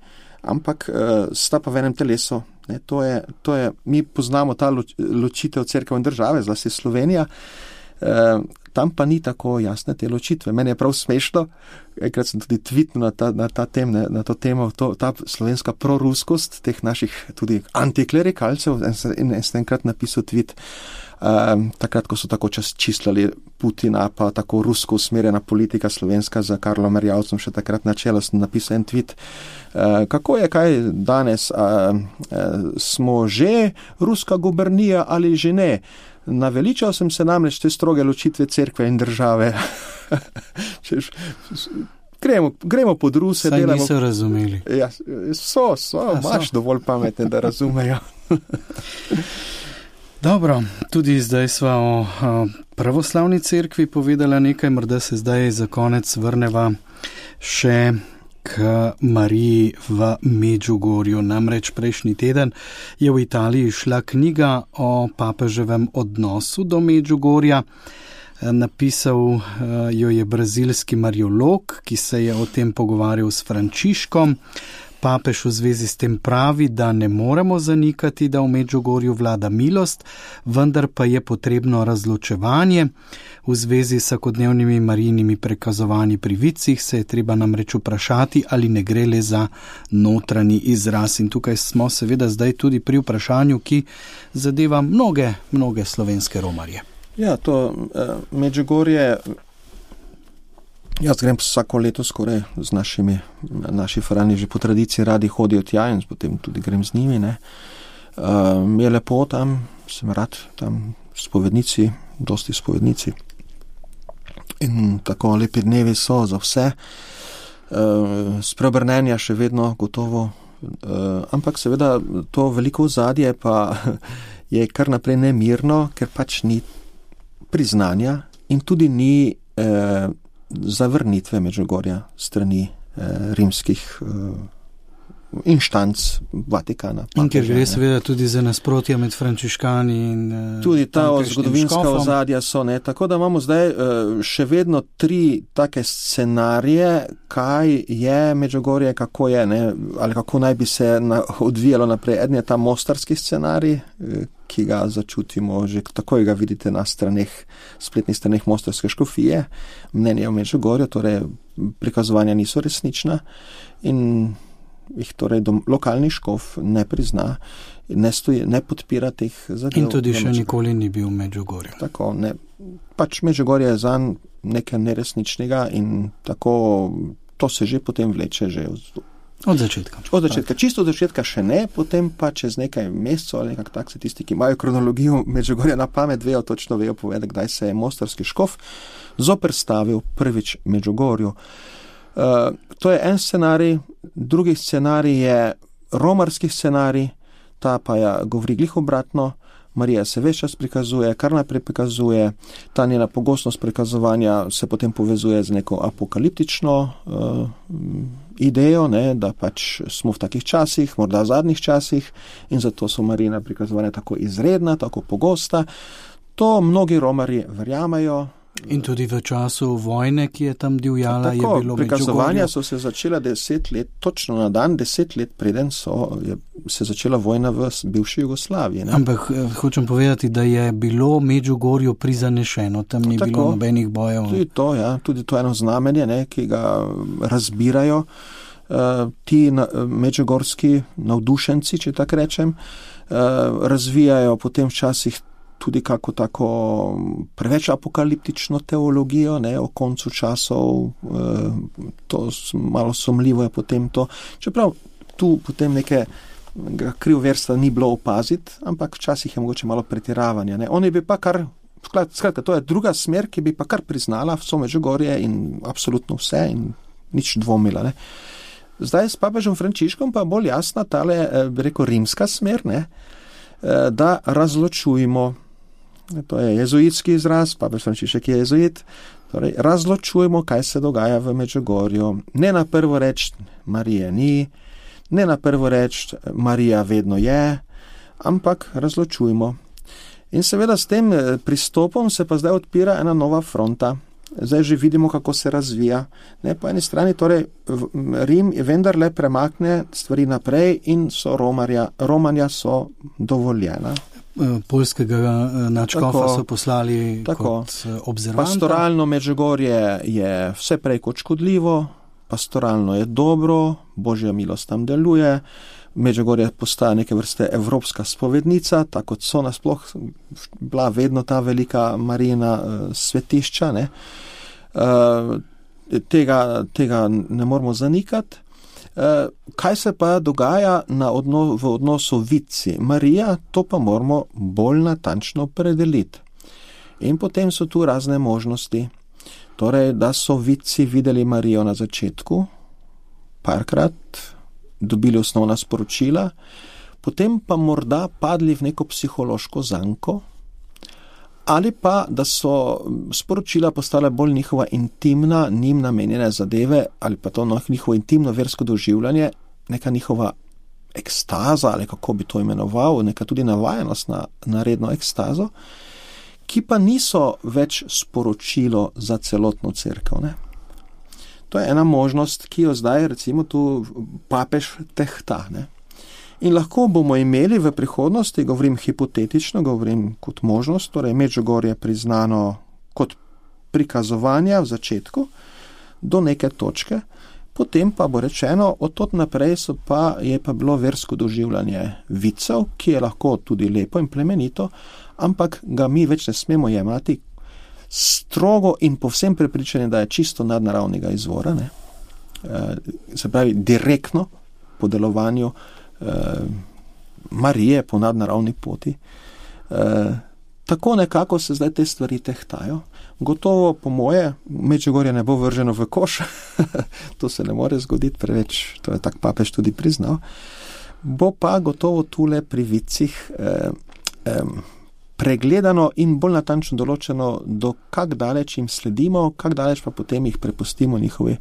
[SPEAKER 3] ampak sta pa v enem telesu. Ne? To je, mi poznamo ta ločitev cerkev in države, zlasti Slovenija, tam pa ni tako jasne te ločitve. Meni je prav smešno, enkrat sem tudi tweetnil na to temo, ta slovenska proruskost teh naših tudi antiklerikalcev in sem enkrat napisal tweet, takrat, ko so tako čislali Putina, pa tako rusko usmerjena politika slovenska za Karlom Erjavcem, še takrat na čelo sem napisal en tweet, kako je kaj danes, smo že ruska gubernija ali že ne? Naveličal sem se namreč te stroge ločitve cerkve in države. Gremo pod Ruse.
[SPEAKER 2] Saj niso razumeli.
[SPEAKER 3] Ja, so, imaš dovolj pametne, da razumejo.
[SPEAKER 2] Dobro, tudi zdaj sva o pravoslavni cerkvi povedala nekaj, morda se zdaj za konec vrneva še k Mariji v Medžugorju. Namreč prejšnji teden je v Italiji šla knjiga o papeževem odnosu do Medžugorja. Napisal jo je brazilski mariolog, ki se je o tem pogovarjal s Frančiškom. Papež v zvezi s tem pravi, da ne moremo zanikati, da v Medžugorju vlada milost, vendar pa je potrebno razločevanje. V zvezi s vsakodnevnimi Marijinimi prekazovanji pri vicih se je treba namreč vprašati, ali ne gre le za notranji izraz. In tukaj smo seveda zdaj tudi pri vprašanju, ki zadeva mnoge slovenske romarje.
[SPEAKER 3] Ja, to Medžugorje, jaz grem vsako leto skoraj z naši farani že po tradiciji radi hodijo tja in potem tudi grem z njimi. Je lepo tam, sem rad tam spovednici, dosti spovednici. In tako lepi dnevi so za vse. Spreobrnenja še vedno gotovo, ampak seveda to veliko ozadje pa je kar naprej nemirno, ker pač ni priznanja in tudi ni zavrnitve Medžugorja strani rimskih inštanc Vatikana.
[SPEAKER 2] In ker gre seveda tudi za nasprotja med frančiškani in
[SPEAKER 3] tudi ta zgodovinska ozadja so, tako da imamo zdaj še vedno 3 take scenarije, kaj je Medžugorje, kako je, ali kako naj bi se odvijalo naprej. Eden je ta mostarski scenarij, ki ga začutimo, že takoj ga vidite na spletnih straneh mostarske škofije. Mnenje o Medžugorju, torej prikazovanja niso resnična in jih torej lokalni škof ne prizna, ne podpira teh zadev.
[SPEAKER 2] In tudi še nikoli ni bil v Medžugorju.
[SPEAKER 3] Tako, pač Medžugorje je zanj nekaj neresničnega in tako to se že potem vleče že
[SPEAKER 2] od začetka.
[SPEAKER 3] Čisto od začetka še ne, potem pa čez nekaj mesecev ali nekako tak se tisti, ki imajo kronologijo Medžugorja na pamet, točno vejo povedati, kdaj se je mostarski škof zoperstavil prvič Medžugorju. To je en scenarij, drugi scenarij je romarski scenarij, ta pa govori glih obratno. Marija se ves čas prikazuje, kar naprej prikazuje, ta njena pogostnost prikazovanja se potem povezuje z neko apokaliptično idejo, da pač smo v takih časih, morda v zadnjih časih in zato so Marijina prikazovanja tako izredna, tako pogosta. To mnogi romarji verjamejo.
[SPEAKER 2] In tudi v času vojne, ki je tam divjala, je bilo
[SPEAKER 3] prikazovanja so se začela 10 let, točno na dan 10 let preden se začela vojna v bivši Jugoslaviji.
[SPEAKER 2] Ampak hočem povedati, da je bilo Medžugorju prizanešeno, tam ni bilo nobenih bojev.
[SPEAKER 3] Tudi to eno znamenje, ki ga razbirajo ti medžugorski navdušenci, če tako rečem, razvijajo potem včasih tudi kako tako preveč apokaliptično teologijo, o koncu časov, to malo sumljivo je potem to. Čeprav tu potem neke krivverstva ni bilo opaziti, ampak včasih je mogoče malo pretiravanja. Oni bi pa skratka, to je druga smer, ki bi pa kar priznala vso Medžugorje in absolutno vse in nič dvomila. Zdaj s papežem Frančiškom pa bolj jasna tale, bi rekel, rimska smer, da razločujemo. To je jezuitski izraz, papež Frančišek je jezuit. Torej, razločujemo, kaj se dogaja v Medžugorju. Ne na prvo reč Marije ni, ne na prvo reč Marija vedno je, ampak razločujemo. In seveda s tem pristopom se pa zdaj odpira ena nova fronta. Zdaj že vidimo, kako se razvija. Po eni strani torej Rim vendarle premakne stvari naprej in so romanja so dovoljena.
[SPEAKER 2] Poljskega nadškofa so poslali kot observanta.
[SPEAKER 3] Pastoralno Medžugorje je vse prej kot škodljivo, pastoralno je dobro, Božja milost tam deluje, Medžugorje postaja neke vrste evropska spovednica, tako kot so nasploh bila vedno ta velika Marijina svetišča. Tega ne moramo zanikati. Kaj se pa dogaja v odnosu vici Marija, to pa moramo bolj natančno opredeliti. In potem so tu razne možnosti. Torej, da so vici videli Marijo na začetku, parkrat, dobili osnovna sporočila, potem pa morda padli v neko psihološko zanko, ali pa, da so sporočila postala bolj njihova intimna, njim namenjene zadeve, ali pa to njihovo intimno versko doživljanje, neka njihova ekstaza, ali kako bi to imenoval, neka tudi navajenost na redno ekstazo, ki pa niso več sporočilo za celotno cerkev, ne. To je ena možnost, ki jo zdaj recimo tu papež tehta, ne. In lahko bomo imeli v prihodnosti, govorim hipotetično, govorim kot možnost, torej Medžugorje priznano kot prikazovanja v začetku do neke točke, potem pa bo rečeno, od tod naprej je pa bilo versko doživljanje vicev, ki je lahko tudi lepo in plemenito, ampak ga mi več ne smemo jemati strogo in povsem prepričani, da je čisto nadnaravnega izvora, ne? Se pravi direktno po delovanju Marije po nadnaravni poti. Tako nekako se zdaj te stvari tehtajo. Gotovo, po moje, Medžugorje ne bo vrženo v koš, to se ne more zgoditi preveč, to je tak papež tudi priznal. Bo pa gotovo tule pri vicih pregledano in bolj natančno določeno, do kak daleč jim sledimo, kak daleč pa potem jih prepustimo njihove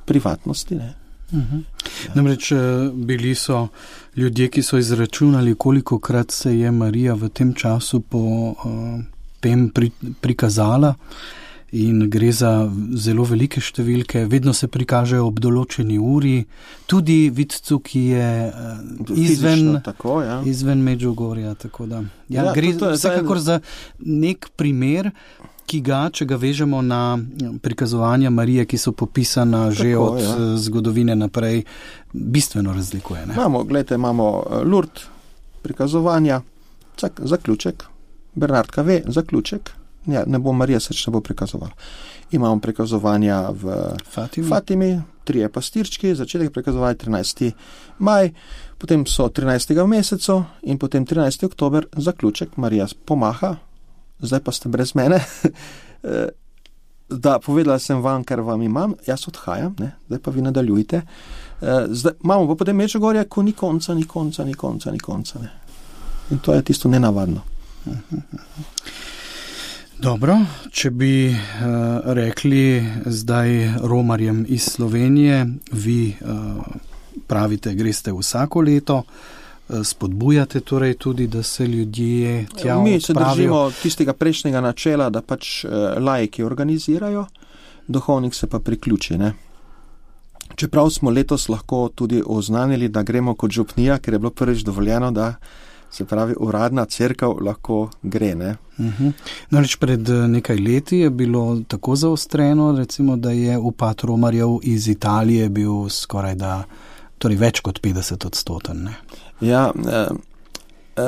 [SPEAKER 3] privatnosti, ne.
[SPEAKER 2] Namreč bili so ljudje, ki so izračunali, kolikokrat se je Marija v tem času po tem prikazala, in gre za zelo velike številke, vedno se prikažejo ob določeni uri, tudi vidcu, ki je izven Medžugorja, tako da. Gre vsekakor za nek primer, ki ga, če ga vežemo na prikazovanja Marije, ki so popisana že od zgodovine naprej, bistveno razlikuje, ne?
[SPEAKER 3] Imamo Lourdes prikazovanja, zaključek, Bernardka ve, zaključek, ne bo Marija se ne bo prikazovala. Imamo prikazovanja v Fatimi, 3 pastirčki, začetek prikazovanja 13. maj, potem so 13. v mesecu in potem 13. oktober, zaključek, Marija pomaha, zdaj pa ste brez mene, da povedala sem vam, kar vam imam, jaz odhajam, ne? Zdaj pa vi nadaljujte. Zdaj imamo pa potem Medžugorje, ko ni konca, ne? In to je tisto nenavadno.
[SPEAKER 2] Dobro, če bi rekli zdaj romarjem iz Slovenije, vi pravite, greste vsako leto, spodbujate torej tudi, da se ljudje tja odpravijo.
[SPEAKER 3] Mi se držimo tistega prejšnjega načela, da pač laiki organizirajo, duhovnik se pa priključi, ne. Čeprav smo letos lahko tudi oznanili, da gremo kot župnija, ker je bilo prvič dovoljeno, da se pravi uradna cerkev lahko gre, ne.
[SPEAKER 2] Namreč pred nekaj leti je bilo tako zaostreno, recimo, da je upad romarjev iz Italije bil skoraj da, torej več kot 50%, ne.
[SPEAKER 3] Ja,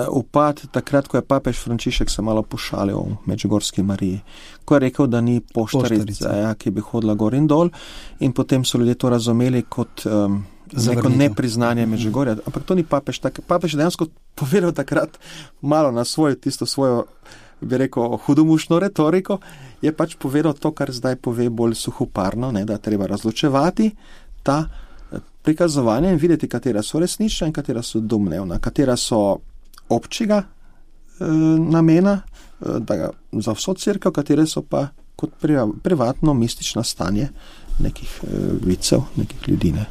[SPEAKER 3] upad takrat, ko je papež Frančišek se malo pošalil v Medžugorski Mariji, ko je rekel, da ni poštarica, ki bi hodila gor in dol, in potem so ljudje to razumeli kot neko nepriznanje Medžugorja, ampak to ni papež. Papež dejansko povedal takrat malo na tisto svojo, bi rekel, hudomušno retoriko, je pač povedal to, kar zdaj pove bolj suhoparno, ne, da treba razločevati ta prikazovanja in videti, katera so resnična in katera so domnevna, katera so občega namena za vso cerkev, katere so pa kot privatno mistično stanje nekih vicev, nekih ljudi, ne.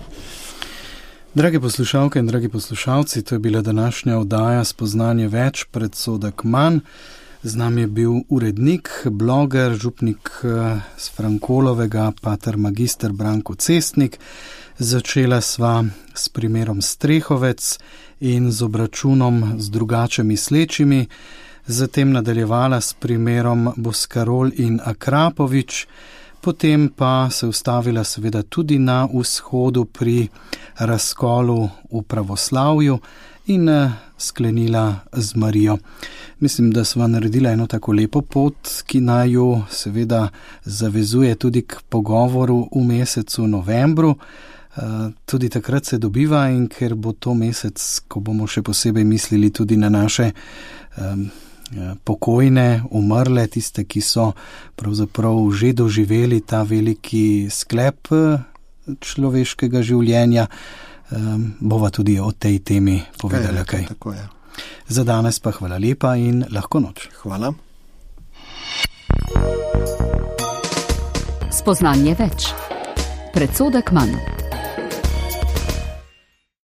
[SPEAKER 2] Drage poslušalke in dragi poslušalci, to je bila današnja oddaja Spoznanje več, predsodek manj. Z nami je bil urednik, bloger, župnik z Frankolovega, pater magister Branko Cestnik. Začela sva s primerom Strehovec in z obračunom z drugače mislečimi, zatem nadaljevala s primerom Boskarol in Akrapovič, potem pa se ustavila seveda tudi na vzhodu pri razkolu v pravoslavju in sklenila z Marijo. Mislim, da sva naredila eno tako lepo pot, ki naj jo seveda zavezuje tudi k pogovoru v mesecu novembru. Tudi takrat se dobiva in ker bo to mesec, ko bomo še posebej mislili tudi na naše pokojne, umrle, tiste, ki so pravzaprav že doživeli ta veliki sklep človeškega življenja, bova tudi o tej temi povedala kaj.
[SPEAKER 3] Tako je.
[SPEAKER 2] Za danes pa hvala lepa in lahko noč.
[SPEAKER 3] Hvala.
[SPEAKER 1] Spoznanje več. Predsodek manj.